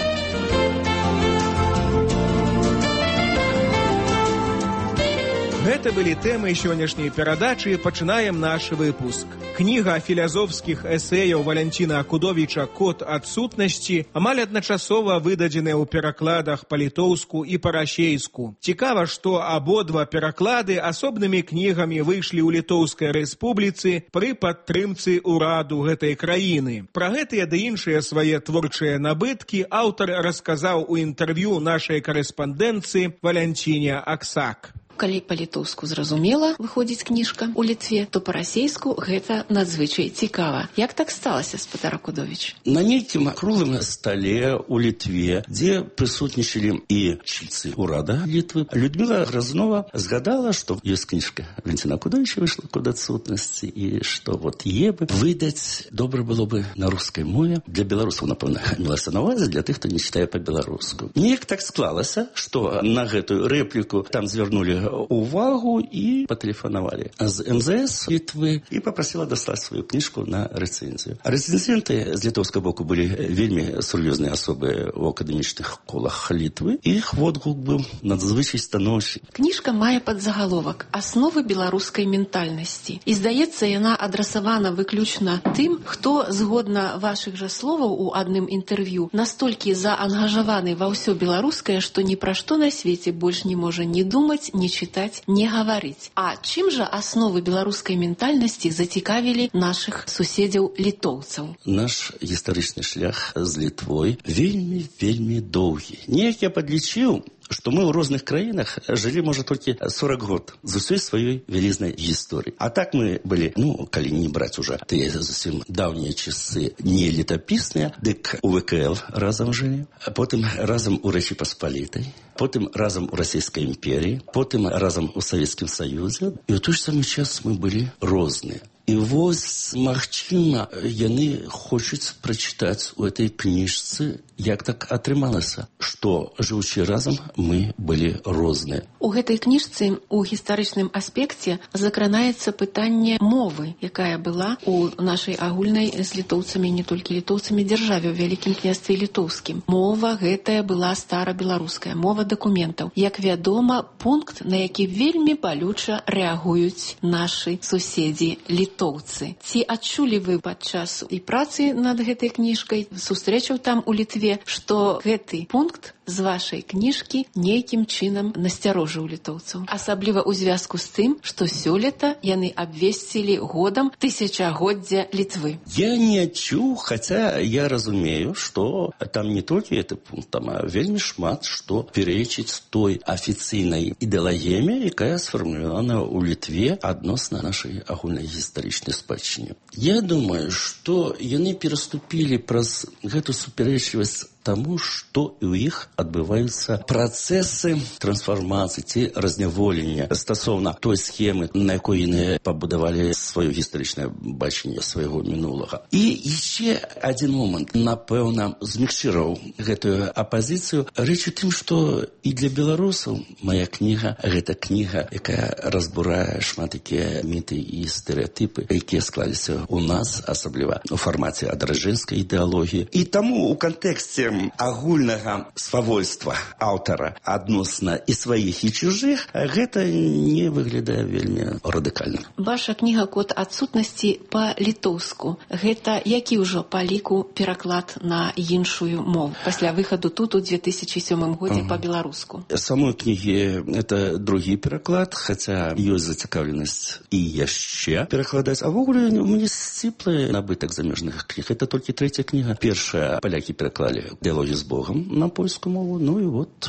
Гэта былі тэмы сённяшняй перадачы. Пачынаем наш выпуск. Кніга філазофскіх эсэяў Валянціна Акудовіча «Код адсутнасці» амаль адначасова выдадзеная ў перакладах па-літоўску і па-расейску. Цікава, што абодва пераклады асобнымі кнігамі выйшлі ў Літоўскай рэспубліцы пры падтрымцы ўраду гэтай краіны. Пра гэтыя ды іншыя свае творчыя набыткі аўтар расказаў у інтэрв'ю нашай карэспандэнцыі Валянціне Аксак. Калі па-літоўску зразумела выходзіць кніжка ў Літве, то па-расейску гэта надзвычай цікава. Як так сталася, спадар Акудовіч? На нейкім круглым стале ў Літве, дзе прысутнічалі і чільцы ўрада Літвы, Людміла Грознова згадала, што ёсць кніжка Валянціна Акудовіча выйшла «Код адсутнасці», і што вот е бы выдаць добра было бы на рускай мове. Для беларусаў, напэўна, мелася на увазе, для тых, хто не чытае па-беларуску. Неяк так склалася, што на гэтую рэпліку там звярнули увагу і патэлефанавалі з МЗС Літвы і папрасіла даслаць сваю кніжку на рэцэнзію. Рэцэнзенты з літоўскага боку былі вельмі сур'ёзныя асобы ў акадэмічных колах Літвы. Іх водгук быў надзвычай станоўчы. Кніжка мае падзагаловак «Асновы беларускай ментальнасці». І, здаецца, яна адрасавана выключна тым, хто, згодна вашых жа словаў у адным інтэрв'ю, настолькі заангажаваны ва ўсё беларускае, што ні пра што на свеце больш не можа ні думаць, ні чытаць, не гаварыць. А чым жа асновы беларускай ментальнасці зацікавілі нашых суседзяў літоўцаў? Наш гістарычны шлях з Літвой вельмі доўгі. Неяк я падлічыў, што мы ў розных краінах жылі, можа, толькі 40 год з усёй сваёй вялізнай гісторыі. А так мы былі, калі не браць уже тыя зусім даўнія часы не летапісныя, дык у ВКЛ разам жылі, потым разам у Рэчы Паспалітай, потым разам у Расійскай імперіі, потым разам у Савецкім Саюзе. І ў той ж самы час мы былі розныя. І вось, магчыма, яны хочуць прачытаць у этой кніжцы, як так атрымалася, што, жыўучы разам, мы былі розныя. У гэтай кніжцы у гістарычным аспекце закранаецца пытанне мовы, якая была у нашай агульнай з літоўцамі, не толькі літоўцамі, дзяржаве ў Вялікім княстве літоўскім. Мова гэтая была старабеларуская, мова дакументаў. Як вядома, пункт, на які вельмі балюча рэагуюць нашы суседзі літоўцы. Ці адчулі вы падчас і працы над гэтай кніжкай, сустрэчаў там у Літве, што гэты пункт з вашай кніжкі нейкім чынам насцярожыў літоўцаў? Асабліва ў звязку з тым, што сёлета яны абвесцілі годам тысячагоддзя Літвы. Я не адчуў, хаця я разумею, што там не толькі гэты пункт, там вельмі шмат што перечыць той афіцыйнай ідэалагіяме, якая сфармулявана ў Літве адносна нашай агульнай гістарычнай спадчыне. Я думаю, што яны пераступілі праз гэту супярэчлівасць таму, што ў іх адбываюцца працэсы трансфармацыі ці разняволення стасоўна той схемы, на якой яны пабудавалі сваё гістарычнае бачанне свайго мінулага. І яшчэ адзін момант, напэўна, змякчыраў гэтую апазіцыю. Рэч у тым, што і для беларусаў мая кніга — гэта кніга, якая разбурае шмат якія міты і стэрэатыпы, якія склаліся ў нас, асабліва у фармаце адраджэнскай ідэалогіі. І таму у кантэксце агульнага свавольства аўтара адносна і сваіх, і чужых, гэта не выглядае вельмі радыкальна. Ваша кніга «Код адсутнасці» па-літоўску. Гэта які ўжо па ліку пераклад на іншую мову пасля выхаду тут у 2007 годзе па-беларуску? Самой кнігі это другі пераклад, хаця ёсць зацікаўленасць і яшчэ перакладаць. А ввогуле мне сціплы набытак замежных кніг. Это толькі трэця кніга. Першая палякі пераклалі «Дыялогію з Богом» на польскую мову. Ну і вот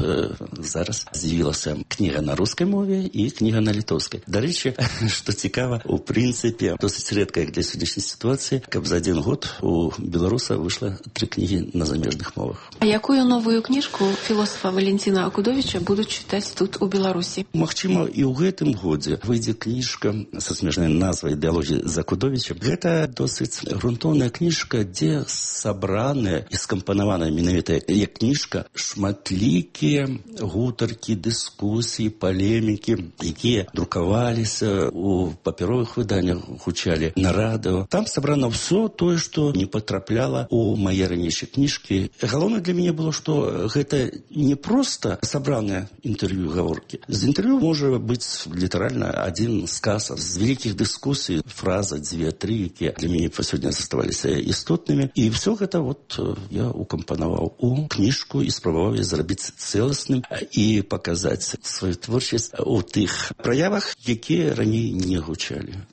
зараз з'явілася кніга на рускай мове і кніга на літоўскай. Дарэчы, што цікава, у прынцыпе досыць рэдка для сённяшняй сітуацыі, каб за один год у беларуса выйшла 3 кнігі на замежных мовах. А якую новую кніжку філосафа Валянціна Акудовіча будуць чытаць тут у Беларусі? Магчыма, і ў гэтым годзе выйдзе кніжка са смешнай назвай «Дыялогія з Акудовічам». Гэта досыць грунтоўная кніжка, дзе сабраная і скампанаваная менавіта як кніжка, шматлікія гутаркі, дыскусіі, палемікі, якія друкаваліся у папяровых выданнях, гучалі на радыо. Там сабрана ўсё тое, што не патрапляла у мае ранейшыя кніжкі. Галоўнае для мяне было, што гэта не проста сабраныя інтэрв'ю, гаворкі. З інтэрв'ю можа быць літаральна адзін сказ з вялікіх дыскусій, фраза, дзве, тры, якія для мяне па сёння заставаліся істотнымі. І ўсё гэта я укампанаваў у кніжку і спрабаваў зрабіць цэласным і паказаць сваю творчасць у тых праявах, якія раней не гучалі.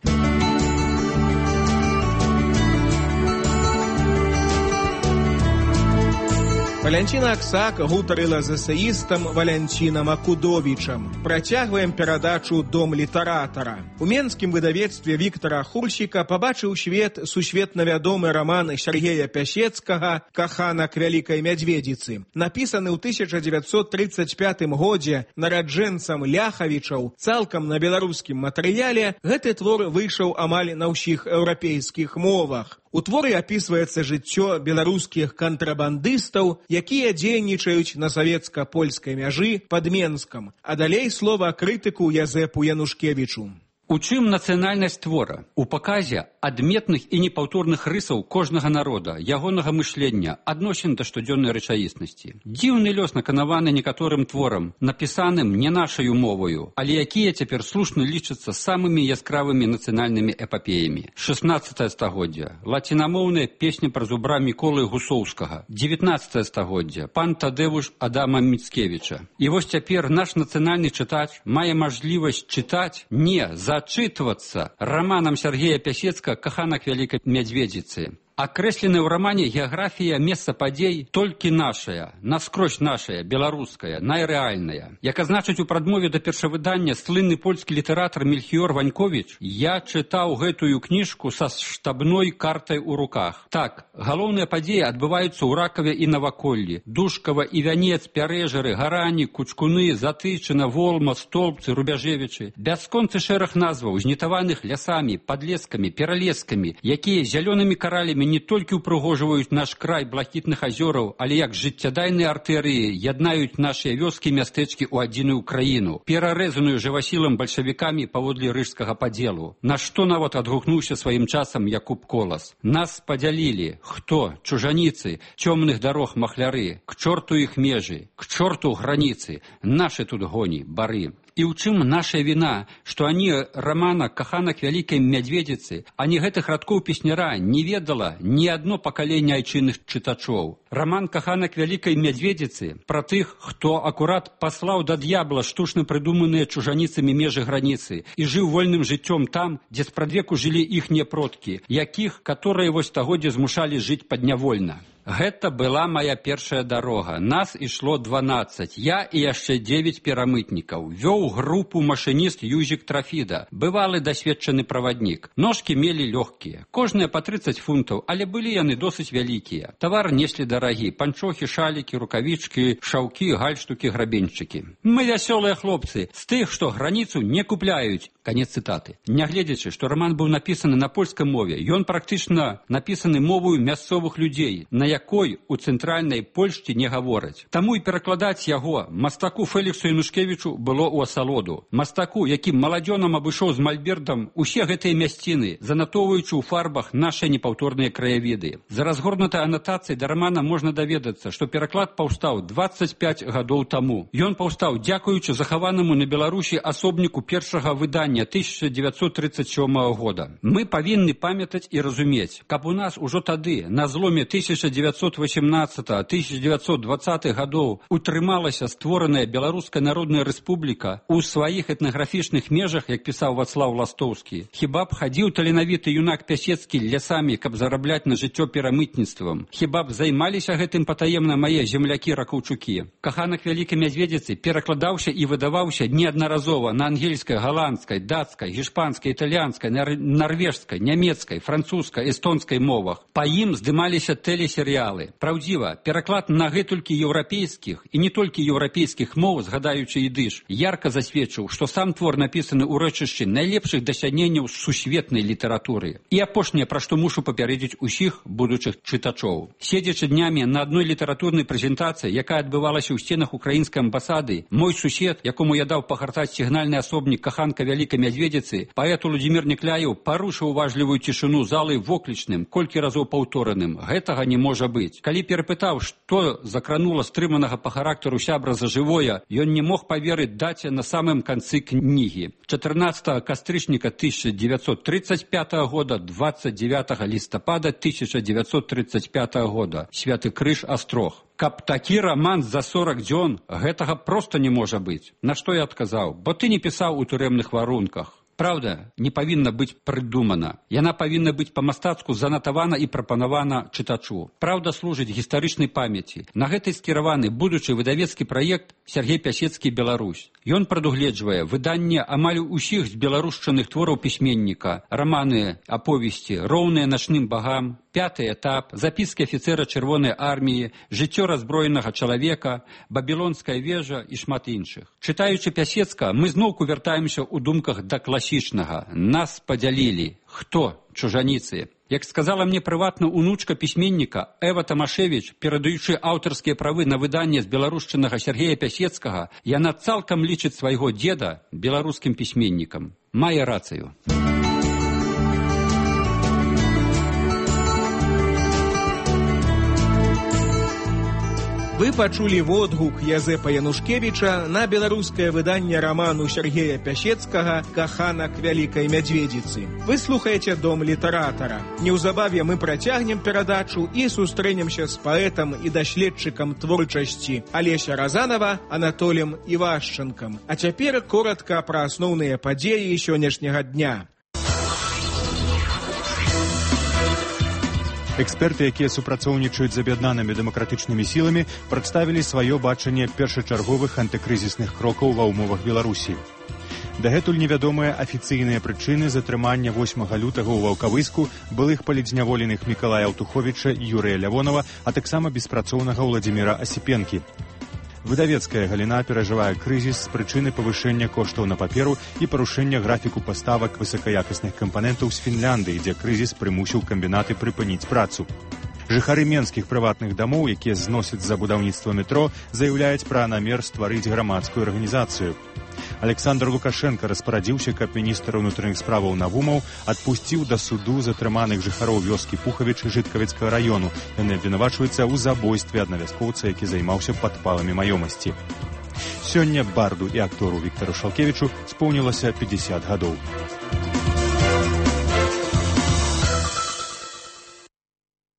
Валянціна Аксак гутарыла з эсеістам Валянцінам Акудовічам. Працягваем перадачу «Дом літаратара». У менскім выдавецтве Віктара Хурсіка пабачыў свет сусветна вядомы раман Сергея Пясецкага «Каханак вялікай мядзведзіцы». Напісаны ў 1935 годзе нараджэнцам Ляхавічаў цалкам на беларускім матэрыяле, гэты твор выйшаў амаль на ўсіх еўрапейскіх мовах. У творы апісваецца жыццё беларускіх кантрабандыстаў, якія дзейнічаюць на савецка-польскай мяжы пад Менскам. А далей слова крытыку Язэпу Янушкевічу. У чым нацыянальнасць твора? У паказе адметных і непаўторных рысаў кожнага народа, ягонага мышлення, адносін да штодзённай рэчаіснасці. Дзіўны лёс наканаваны некаторым творам, напісаным не нашаю моваю, але якія цяпер слушна лічацца самымі яскравымі нацыянальнымі эпапеямі. 16 стагоддзя. Лацінамоўная песня пра зубра Міколы Гусоўскага. 19 стагоддзя. Пан Тадэвуш Адама Міцкевіча. І вось цяпер наш нацыянальны чытач мае мажлівасць чытаць, не зачытвацца раманам Сергея Пясецкага «Каханак вялікай мядзведзіцы». Акрэсленая ў рамане геаграфія месца падзей толькі нашая, наскрозь нашая, беларуская, найрэальная. Як азначыць у прадмове да першавыдання слынны польскі літаратар Мельхіёр Ваньковіч, я чытаў гэтую кніжку са штабной картай у руках. Так, галоўныя падзеі адбываюцца ў Ракаве і Наваколлі, Душкава і Вянец, Пярэжары, Гарані, Кучкуны, Затычына, Волма, Столбцы, Рубяжевічы. Бясконцы шэраг назваў, знітаваных лясамі, падлескамі, пералескамі, якія зялёнымі каралямі не толькі ўпрыгожваюць наш край блакітных азёраў, але як жыццядайныя артэрыі яднаюць нашыя вёскі і мястэчкі ў адзіную краіну, перарэзаную жывасілам бальшавікамі паводле рыжскага падзелу. На што нават адгукнуўся сваім часам Якуб Колас. Нас падзялілі. Хто? Чужаніцы, цёмных дарог махляры, к чорту іх межы, к чорту граніцы, нашы тут гоні, бары. І ў чым наша віна, што ані рамана «Каханак вялікай мядзведзіцы», ані гэтых радкоў песняра не ведала ні адно пакаленне айчынных чытачоў. Раман «Каханак вялікай мядзведзіцы» пра тых, хто акурат паслаў да д'ябла штучна прыдуманыя чужаніцамі межы граніцы і жыў вольным жыццём там, дзе спрадвеку жылі іхнія продкі, якіх, каторыя вось стагоддзя змушалі жыць паднявольна. Гэта была моя першая дарога. Нас ішло 12. Я і яшчэ 9 перамытнікаў. Вёў групу машыніст Юзік Трафіда. Бывалы дасведчаны праваднік. Ножкі мелі лёгкія. Кожныя па 30 фунтаў, але былі яны досыць вялікія. Тавар неслі дарагі. Панчохі, шалікі, рукавічкі, шаўкі, гальштукі, грабеньчыкі. Мы вясёлыя хлопцы. З тых, што граніцу не купляюць. Канец цытаты. Нягледзячы, што раман быў напісаны на польскай мове, ён практычна напісаны мовою мясцовых людзей, на якой у цэнтральнай Польшчы не гавораць. Таму і перакладаць яго мастаку Фэліксу Янушкевічу было ў асалоду. Мастаку, які маладзёнам абышоў з мальбертам усе гэтыя мясціны, занатоўваючы ў фарбах нашы непаўторныя краявіды. За разгорнутай анатацыяй да рамана можна даведацца, што пераклад паўстаў 25 гадоў таму. Ён паўстаў дзякуючы захаванаму на Беларусі асобніку першага выдання 1937 года. Мы павінны памятаць і разумець, каб у нас ужо тады, на зломе 1918-1920 гадоў, утрымалася створаная Беларуская Народная Рэспубліка ў сваіх этнаграфічных межах, як пісаў Вацлаў Ластоўскі. Хіба б хадзіў таленавіты юнак Пясецкі лясамі, каб зарабляць на жыццё перамытніцтвам? Хіба б займаліся гэтым патаемна мае землякі-ракаўчукі? «Каханак вялікай мядзведзіцы» перакладаўся і выдаваўся неаднаразова на ангельскай, галандскай, датскай, гішпанскай, італьянскай, нарвежскай, нямецкай, французскай, эстонскай мовах. Па ім здымаліся тэлесерыялы. Праўдзіва, пераклад на гэтулькі еўрапейскіх і не толькі еўрапейскіх моў, згадаючы ідыш, ярка засведчыў, што сам твор напісаны ў рэчышчы найлепшых дасягненняў сусветнай літаратуры. І апошняе, пра што мушу папярэдзіць усіх будучых чытачоў. Седзячы днямі на адной літаратурнай прэзентацыі, якая адбывалася ў сценах украінскай амбасады, мой сусед, якому я даў пагартаць сігнальны асобнік каханка вялікай мядзведзіцы, паэт Владзімір Некляеў парушыў уважлівую цішыню залы воклічным, колькі разоў паўтораным. Гэтага не можа быць. Калі перапытаў, што закранула стрыманага па характару сябра за жывое, ён не мог паверыць даце на самым канцы кнігі. 14 кастрычніка 1935 года, 29 лістапада 1935 года. Святы Крыж, Астрог. Каб такі раман за 40 дзён, гэтага проста не можа быць. На што я адказаў? Бо ты не пісаў у турэмных варунках. Праўда, не павінна быць прыдумана. Яна павінна быць па-мастацку занатавана і прапанавана чытачу. Праўда служыць гістарычнай памяці. На гэтай скіраваны будучы выдавецкі праект Сергей Пясецкі «Беларусь». Ён прадугледжвае выданне амаль усіх збеларушчаных твораў пісьменніка, раманы, аповесці, роўныя начным багам, пяты этап, запіскі афіцэра Чырвонай арміі, жыццё раззброенага чалавека, бабілонская вежа і шмат іншых. Чытаючы Пясецка, мы зноўку вяртаемся ў думках да класічнага. Нас падзялілі. Хто? Чужаніцы. Як сказала мне прыватна унучка пісьменніка Эва Тамашевіч, перадаючы аўтарскія правы на выданне з беларушчынага Сергея Пясецкага, яна цалкам лічыць свайго дзеда беларускім пісьменнікам. Мае рацыю. Вы пачулі водгук Язэпа Янушкевіча на беларускае выданне раману Сергея Пясецкага «Каханак вялікай мядзведзіцы». Вы слухаеце «Дом літаратара». Неўзабаве мы працягнем перадачу і сустрэнемся з паэтам і даследчыкам творчасці Алеся Разанова Анатолем Івашчанкам. А цяпер коратка пра асноўныя падзеі сённяшняга дня. Эксперты, якія супрацоўнічаюць з аб'яднанымі дэмакратычнымі сіламі, прадставілі сваё бачанне першачарговых антыкрызісных крокаў ва ўмовах Беларусі. Дагэтуль невядомыя афіцыйныя прычыны затрымання 8 лютага ў Ваўкавыску былых палідзняволеных Мікалая Аўтуховіча і Юрыя Лявонова, а таксама беспрацоўнага Владзіміра Асіпенкі. Выдавецкая галіна перажывае крызіс з прычыны павышэння коштаў на паперу і парушэння графіку паставак высакаякасных кампанентаў з Фінляндыі, дзе крызіс прымусіў камбінаты прыпыніць працу. Жыхары менскіх прыватных дамоў, якія зносяць за будаўніцтва метро, заяўляюць пра намер стварыць грамадскую арганізацыю. Александр Лукашенко распарадзіўся, каб міністр унутраных справаў Навумаў адпусціў да суду затрыманых жыхароў вёскі Пухавіч Жыткавіцкага раёну. Яны абвінавачваюцца ў забойстве аднавяскоўца, які займаўся падпаламі маёмасці. Сёння барду і актору Віктару Шалкевічу споўнілася 50 гадоў.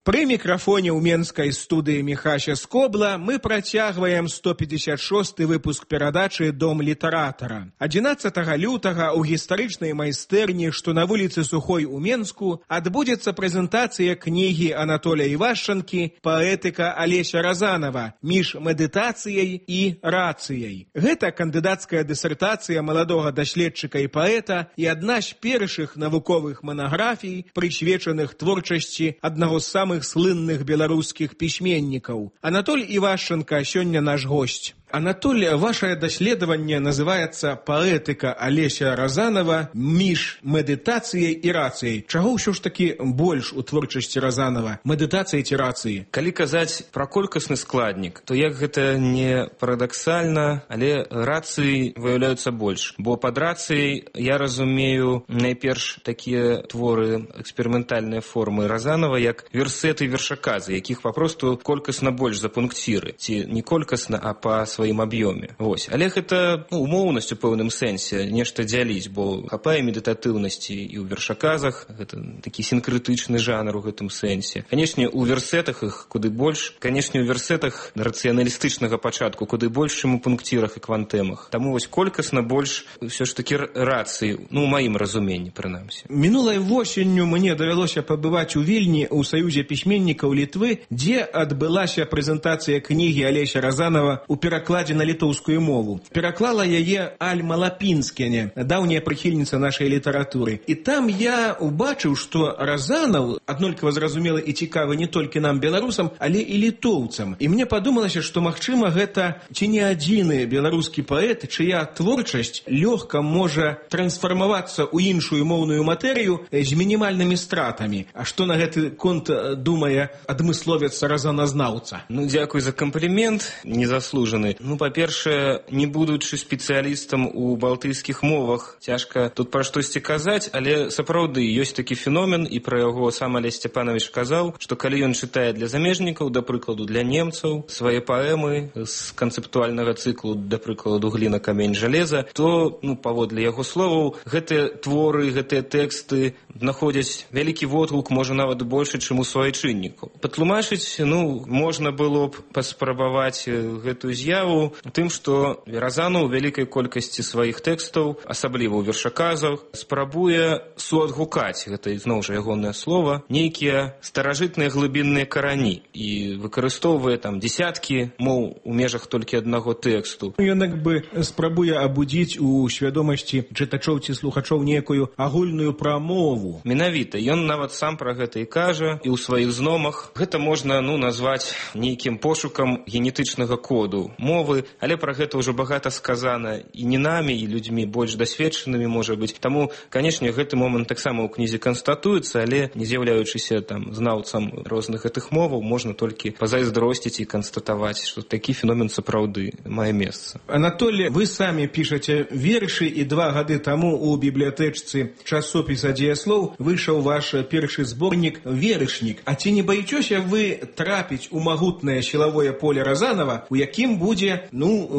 Пры мікрафоне ў менскай студыі Міхася Скобла мы працягваем 156 выпуск перадачы «Дом літаратара». 11 лютага ў гістарычнай майстэрні, што на вуліцы Сухой у Менску, адбудзецца прэзентацыя кнігі Анатолія Івашчанкі «Паэтыка Алеся Разанова. Між медытацыяй і рацыяй». Гэта кандыдацкая дысертацыя маладога даследчыка і паэта і адна з першых навуковых манаграфій, прысвечаных творчасці аднаго з самых слынных беларускіх пісьменнікаў. Анатоль Івашчанка сёння наш госць. Анатоль, ваше даследаванне называецца «Паэтыка Алеся Разанова. Між медытацыяй і рацыяй». Чаго ўсё ж такі больш у творчасці Разанова? Медытацыі ці рацыі? Калі казаць пра колькасны складнік, то як гэта не парадаксальна, але рацыі выяўляюцца больш. Бо пад рацыяй я разумею найперш такія творы, эксперыментальныя формы Разанова, як версеты і вершаказы, якіх папросту колькасна больш за пункціры. Ці не колькасна, а па сваім аб'ёме. Вось. Але гэта умоўнасць у пэўным сэнсе нешта дзяліць, бо хапае медытатыўнасці і ў вершаказах, гэта такі сінкрытычны жанр у гэтым сэнсе. Канешне, у версетах іх куды больш, канешне, у версетах рацыяналістычнага пачатку куды больш, чым у пункцірах і квантэмах. Таму вось колькасна больш ўсё ж такі рацыі, у маім разуменні, прынамсі. Мінулай восенню мне давялося пабываць у Вільні ў Саюзе пісьменнікаў Літвы, дзе адбылася прэзентацыя кнігі Алеся Разанова у перакладзе перакладзе на літоўскую мову. Пераклала яе Альма Лапінскене, даўняя прыхільніца нашай літаратуры. І там я убачыў, што Разанаў аднолькава зразумелы і цікавы не толькі нам, беларусам, але і літоўцам. І мне падумалася, што, магчыма, гэта ці не адзіны беларускі паэт, чыя творчасць лёгка можа трансфармавацца ў іншую моўную матэрыю з мінімальнымі стратамі. А што на гэты конт думае адмысловец разаназнаўца? Дзякуй за камплімент, незаслужаны. Па-першае, не будучы спецыялістам у балтыйскіх мовах, цяжка тут пра штосьці казаць, але сапраўды ёсць такі феномен, і пра яго сам Алесь Сцяпанович казаў, што калі ён чытае для замежнікаў, да прыкладу, для немцаў, свае паэмы з канцэптуальнага цыклу, да прыкладу, гліна, камень, жалеза, то, паводле яго словаў, гэтыя творы, гэтыя тэксты знаходзяць вялікі водгук, можа нават большы, чым у суайчыннікаў. Патлумачыць, можна было б паспрабаваць гэтую з'яву тым, што Разанаў у вялікай колькасці сваіх тэкстаў, асабліва ў вершаказах, спрабуе суадгукаць, гэта зноў жа ягонае слова, нейкія старажытныя глыбінныя карані і выкарыстоўвае там дзесяткі моў у межах толькі аднаго тэксту. Ён бы спрабуе абудзіць у свядомасці чытачоў ці слухачоў некую агульную прамову. Менавіта, ён нават сам пра гэта і кажа, і ў сваіх зномах. Гэта можна, назваць нейкім пошукам генетычнага коду мовы, але пра гэта ўжо багата сказана і не намі, і людзьмі больш дасведчанымі, можа быць. Таму, канешне, гэты момант таксама ў кнізе канстатуецца, але не з'яўляючыся там знаўцам розных гэтых моваў, можна толькі пазайздросціць і канстатаваць, што такі феномен сапраўды мае месца. Анатолий, вы самі пішаце вершы, і 2 гады таму у бібліятэчцы часопіса «Дзеяслоў» выйшаў ваш першы зборнік «Верышнік». А ці не баіцеся вы трапіць у магутнае сілавое поле Разанова, у якім будзе,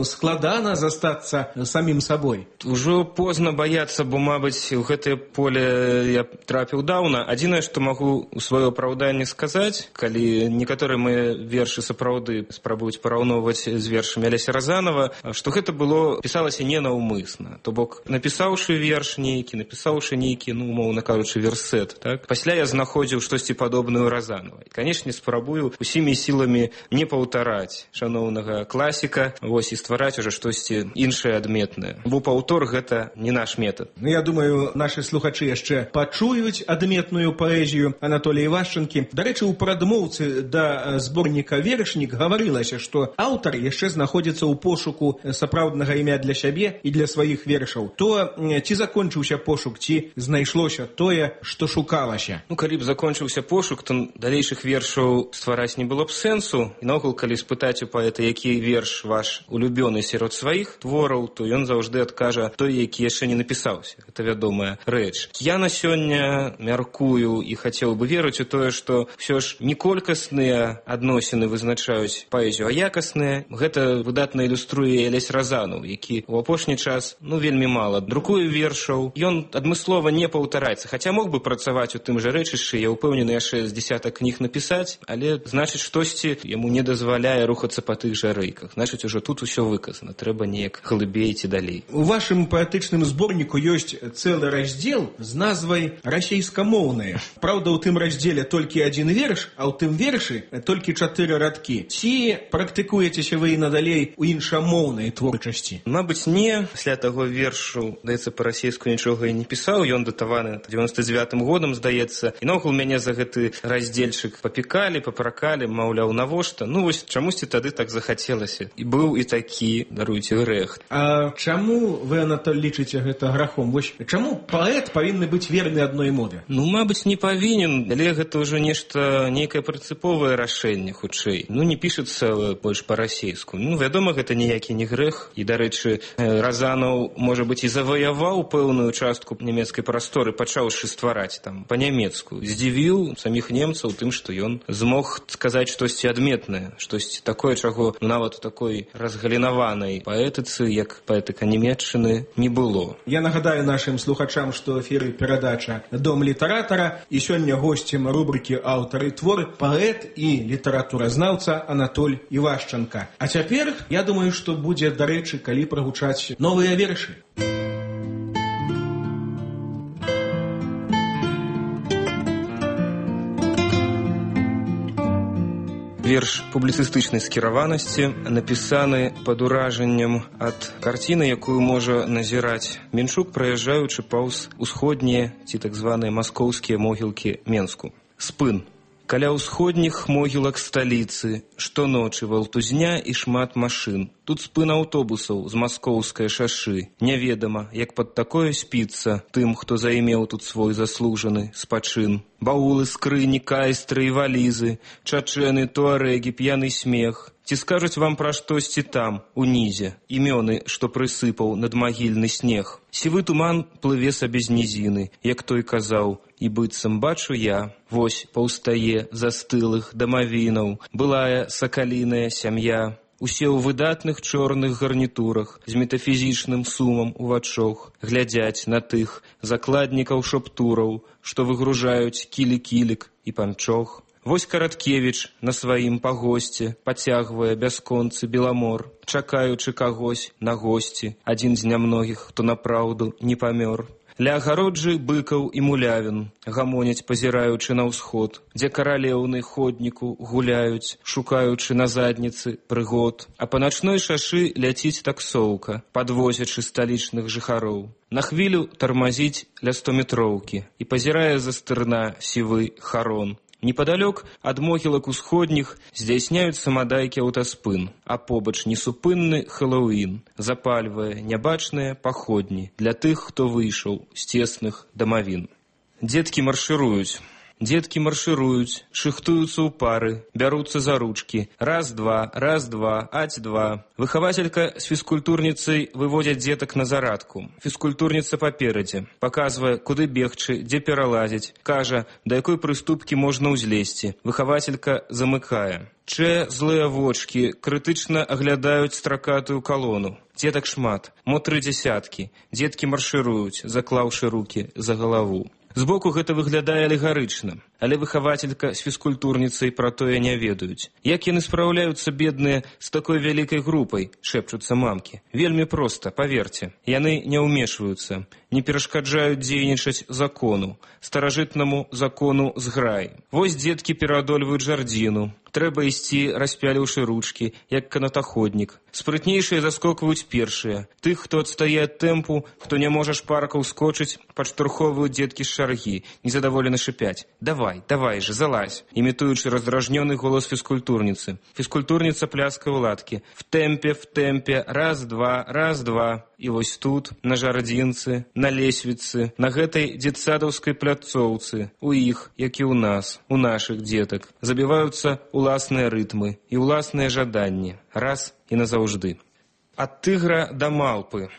складана застацца самім сабой? Ужо позна баяцца, бо, мабыць, у гэтае поле я трапіў даўна. Адзінае, што магу у сваё апраўданне сказаць, калі некаторыя мае вершы сапраўды спрабуюць параўноўваць з вершамі Алеся Разанова, што гэта было, пісалася ненаўмысна. То бок, напісаўшы верш нейкі, умоўна кажучы, версет, так? Пасля я знаходзіў штосьці падобнае ў Разанова. І, канешне, спрабую усімі сіламі не паўтараць шаноўнага класіка, і ствараць ужо штосьці іншае адметнае. Бо паўтор гэта не наш метад. Я думаю, нашы слухачы яшчэ пачуюць адметную паэзію Анатолія Івашчанкі. Дарэчы, у прадмоўцы да зборніка «Верышнік» гаварылася, што аўтар яшчэ знаходзіцца ў пошуку сапраўднага імя для сябе і для сваіх вершаў. То ці закончыўся пошук, ці знайшлося тое, што шукалася? Калі б закончыўся пошук, то далейшых вершаў ствараць не было б сэнсу. І наогул, калі спытаць у паэта, які верш ваш улюбёны сярод сваіх твораў, то ён заўжды адкажа той, які яшчэ не напісаўся. Гэта вядомая рэч. Я на сёння мяркую і хацеў бы верыць у тое, што ўсё ж не колькасныя адносіны вызначаюць паэзію, а якасныя. Гэта выдатна ілюструе Алесь Разанаў, які ў апошні час вельмі мала друкуе вершаў. Ён адмыслова не паўтараецца, хаця мог бы працаваць у тым жа рэчышчы, я ўпэўнены, яшчэ з дзесятак кніг напісаць, але, значыць, штосьці яму не дазваляе рухацца па тых жа рэйках. Значыць, ужо тут усё выказана, трэба неяк глыбей ці далей. У вашым паэтычным зборніку ёсць цэлы раздзел з назвай «Расейскамоўныя». Праўда, у тым раздзеле толькі адзін верш, а ў тым вершы толькі 4 радкі. Ці практыкуецеся вы і надалей у іншамоўнай творчасці? Мабыць, не. Пасля таго вершу, здаецца, па-расейску нічога і не пісаў. Ён датаваны 99-м годам, здаецца. І наогул мяне за гэты раздзельчык папікалі, папракалі, маўляў, навошта? Чамусьці тады так захацелася. І быў і такі, даруйце, грэх. А чаму вы, Анатоль, лічыце гэта грахом? Чаму паэт павінны быць верны адной мове? Мабыць, не павінен, але гэта ўжо нейкае прынцыповае рашэнне, хутчэй. Не пішацца больш па-расейску. Вядома, гэта ніякі не грэх. І, дарэчы, Разанаў, можа быць, і заваяваў пэўную частку нямецкай прасторы, пачаўшы ствараць там па-нямецку. Здзівіў саміх немцаў тым, што ён змог сказаць штосьці адметнае, штосьці такое, чаго нават у такой разгалінаванай паэтыцы, як паэтыка нямецчыны, не было. Я нагадаю нашым слухачам, што ў эфіры перадача «Дом літаратара», і сёння госцем рубрыкі «Аўтар і твор» паэт і літаратуразнаўца Анатоль Івашчанка. А цяпер, я думаю, што будзе, дарэчы, калі прагучаць новыя вершы. Верш публіцыстычнай скіраванасці, напісаны пад уражаннем ад карціны, якую можа назіраць Менчук, праязджаючы паўз усходнія ці так званыя маскоўскія могілкі Менску. Спын. Каля ўсходніх могілак сталіцы, штоночы валтузня і шмат машын. Тут спын аўтобусаў з маскоўскай шашы. Няведама, як пад такое спіцца тым, хто займеў тут свой заслужаны спачын. Баулы, скрыні, кайстры і валізы, чачэны, туарэгі, п'яны смех. Ці скажуць вам пра штосьці там, унізе, імёны, што прысыпаў надмагільны снег. Сівы туман плыве сабе з нізіны, як той казаў, і быццам бачу я, вось паўстае застылых дамавінаў, былая сакаліная сям'я. Усе ў выдатных чорных гарнітурах, з метафізічным сумам у вачох, глядзяць на тых закладнікаў шаптураў, што выгружаюць кілі-кілік і панчох. Вось Караткевіч на сваім пагосце пацягвае бясконцы беламор, чакаючы кагось на госці, адзін з нямногіх, хто напраўду не памёр. Ля агароджы быкаў і мулявін гамоняць, пазіраючы на ўсход, дзе каралеўны ходніку гуляюць, шукаючы на задніцы прыгод. А па начной шашы ляціць таксоўка, падвозячы сталічных жыхароў. На хвілю тармазіць ля 100-метроўкі і пазірае за стырна сівы харон. Непадалёк ад могілак усходніх здзяйсняюць самадайкі аўтаспын, а побач несупынны Хэллоуін запальвае нябачныя паходні для тых, хто выйшаў з цесных дамавін. Дзеткі маршыруюць. Дзеткі маршыруюць, шыхтуюцца ў пары, бяруцца за ручкі. Раз-два, аць-два. Выхавацелька з фізкультурніцай выводзяць дзетак на зарадку. Фізкультурніца паперадзе, паказвае, куды бегчы, дзе пералазіць. Кажа, да якой прыступкі можна ўзлезці. Выхавацелька замыкае. Злыя вочкі крытычна аглядаюць стракатую калону. Дзетак шмат, мо 3 дзясяткі. Дзеткі маршыруюць, заклаўшы рукі за галаву. Збоку гэта выглядае алегарычна, але выхавацелька з фізкультурніцай пра тое не ведаюць. Як яны спраўляюцца, бедныя, з такой вялікай групай, шэпчуцца мамкі. Вельмі проста, паверце. Яны не ўмешваюцца, не перашкаджаюць дзейнічаць закону, старажытнаму закону зграй. Вось дзеткі пераадольваюць жардзіну. Трэба ісці, распяліўшы ручкі, як канатаходнік. Спрытнейшыя заскокваюць першыя. Тых, хто адстае ад тэмпу, хто не можа шпарка ўскочыць, падштурхоўваюць дзеткі з шаргі, незадаволена шыпяць. Давай же, залазь, імітуючы раздражнёны голас фізкультурніцы. Фізкультурніца пляскае ў ладкі. В тэмпе, раз-два. І вось тут, на жардзінцы, на лесвіцы, на гэтай дзетсадаўскай пляцоўцы, у іх, як і ў нас, у нашых дзетак, забіваюцца уласныя рытмы і уласныя жаданні, раз і назаўжды. Ад тыгра да малпы.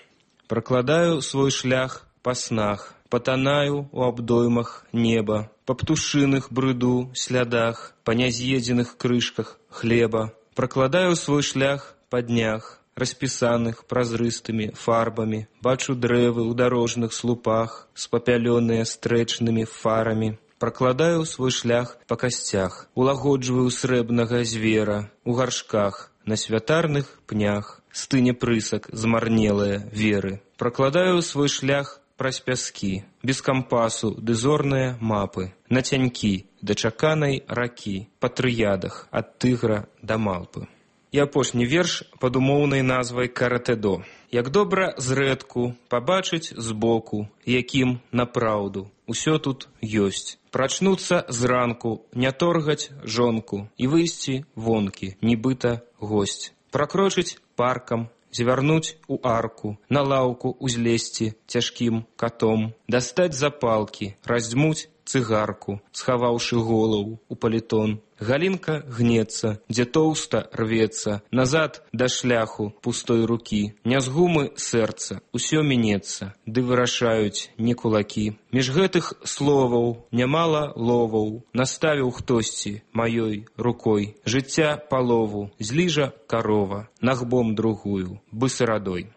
Пракладаю свой шлях па снах, патанаю у абдоймах неба, па птушыных брыду слядах, па няз'едзеных крышках хлеба. Пракладаю свой шлях па днях, распісаных празрыстымі фарбамі, бачу дрэвы ў дарожных слупах, спапялёныя стрэчнымі фарамі. Пракладаю свой шлях па касцях, улагоджваю срэбнага звера, у гаршках, на святарных пнях, стыне прысак змарнелыя веры. Пракладаю свой шлях праз пяскі, без кампасу ды зорныя мапы, на цянькі да чаканай ракі, па трыядах ад тыгра да малпы. І апошні верш пад умоўнай назвай «Каратэдо». Як добра зрэдку пабачыць збоку, якім напраўду усё тут ёсць. Прачнуцца зранку, не торгаць жонку і выйсці вонкі, нібыта госць. Пракрочыць паркам, звярнуць у арку, на лаўку узлезці цяжкім катом, дастаць запалкі, раздзьмуць цыгарку, схаваўшы голову у палітон. Галінка гнецца, дзе тоўста рвецца, назад да шляху пустой рукі. Не з гумы сэрца, усё мінецца, ды вырашаюць не кулакі. Між гэтых словаў нямала ловаў, наставіў хтосьці маёй рукой. Жыцця палову, зліжа карова, нагбом другую, бысарадой.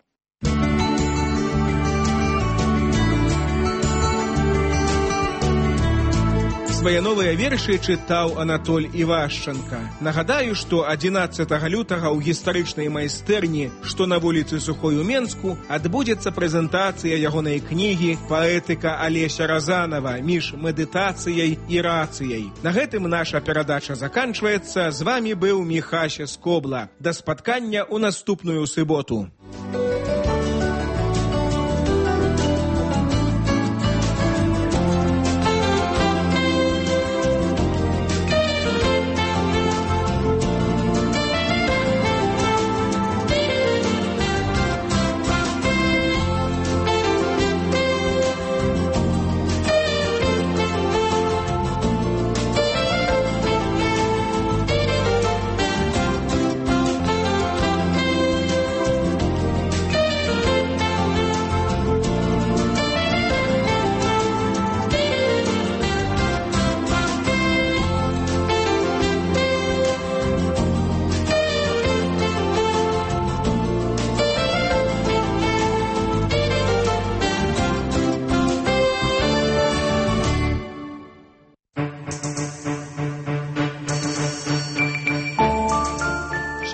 Свае новыя вершы чытаў Анатоль Івашчанка. Нагадаю, што 11 лютага ў гістарычнай майстэрні, што на вуліцы Сухой у Менску, адбудзецца прэзентацыя ягонай кнігі «Паэтыка Алеся Разанова. Між медытацыяй і рацыяй». На гэтым наша перадача заканчваецца. З вамі быў Міхася Скобла. Да спаткання ў наступную суботу.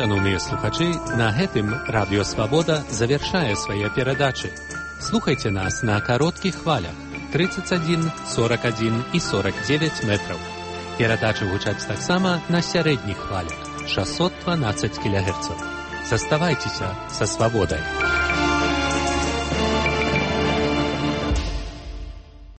Шановныя слухачы, на гэтым Радыё Свабода завяршае свае перадачы. Слухайце нас на кароткіх хвалях 31, 41 і 49 метраў. Перадачы гучаць таксама на сярэдніх хвалях 612 кГц. Заставайцеся са свабодай.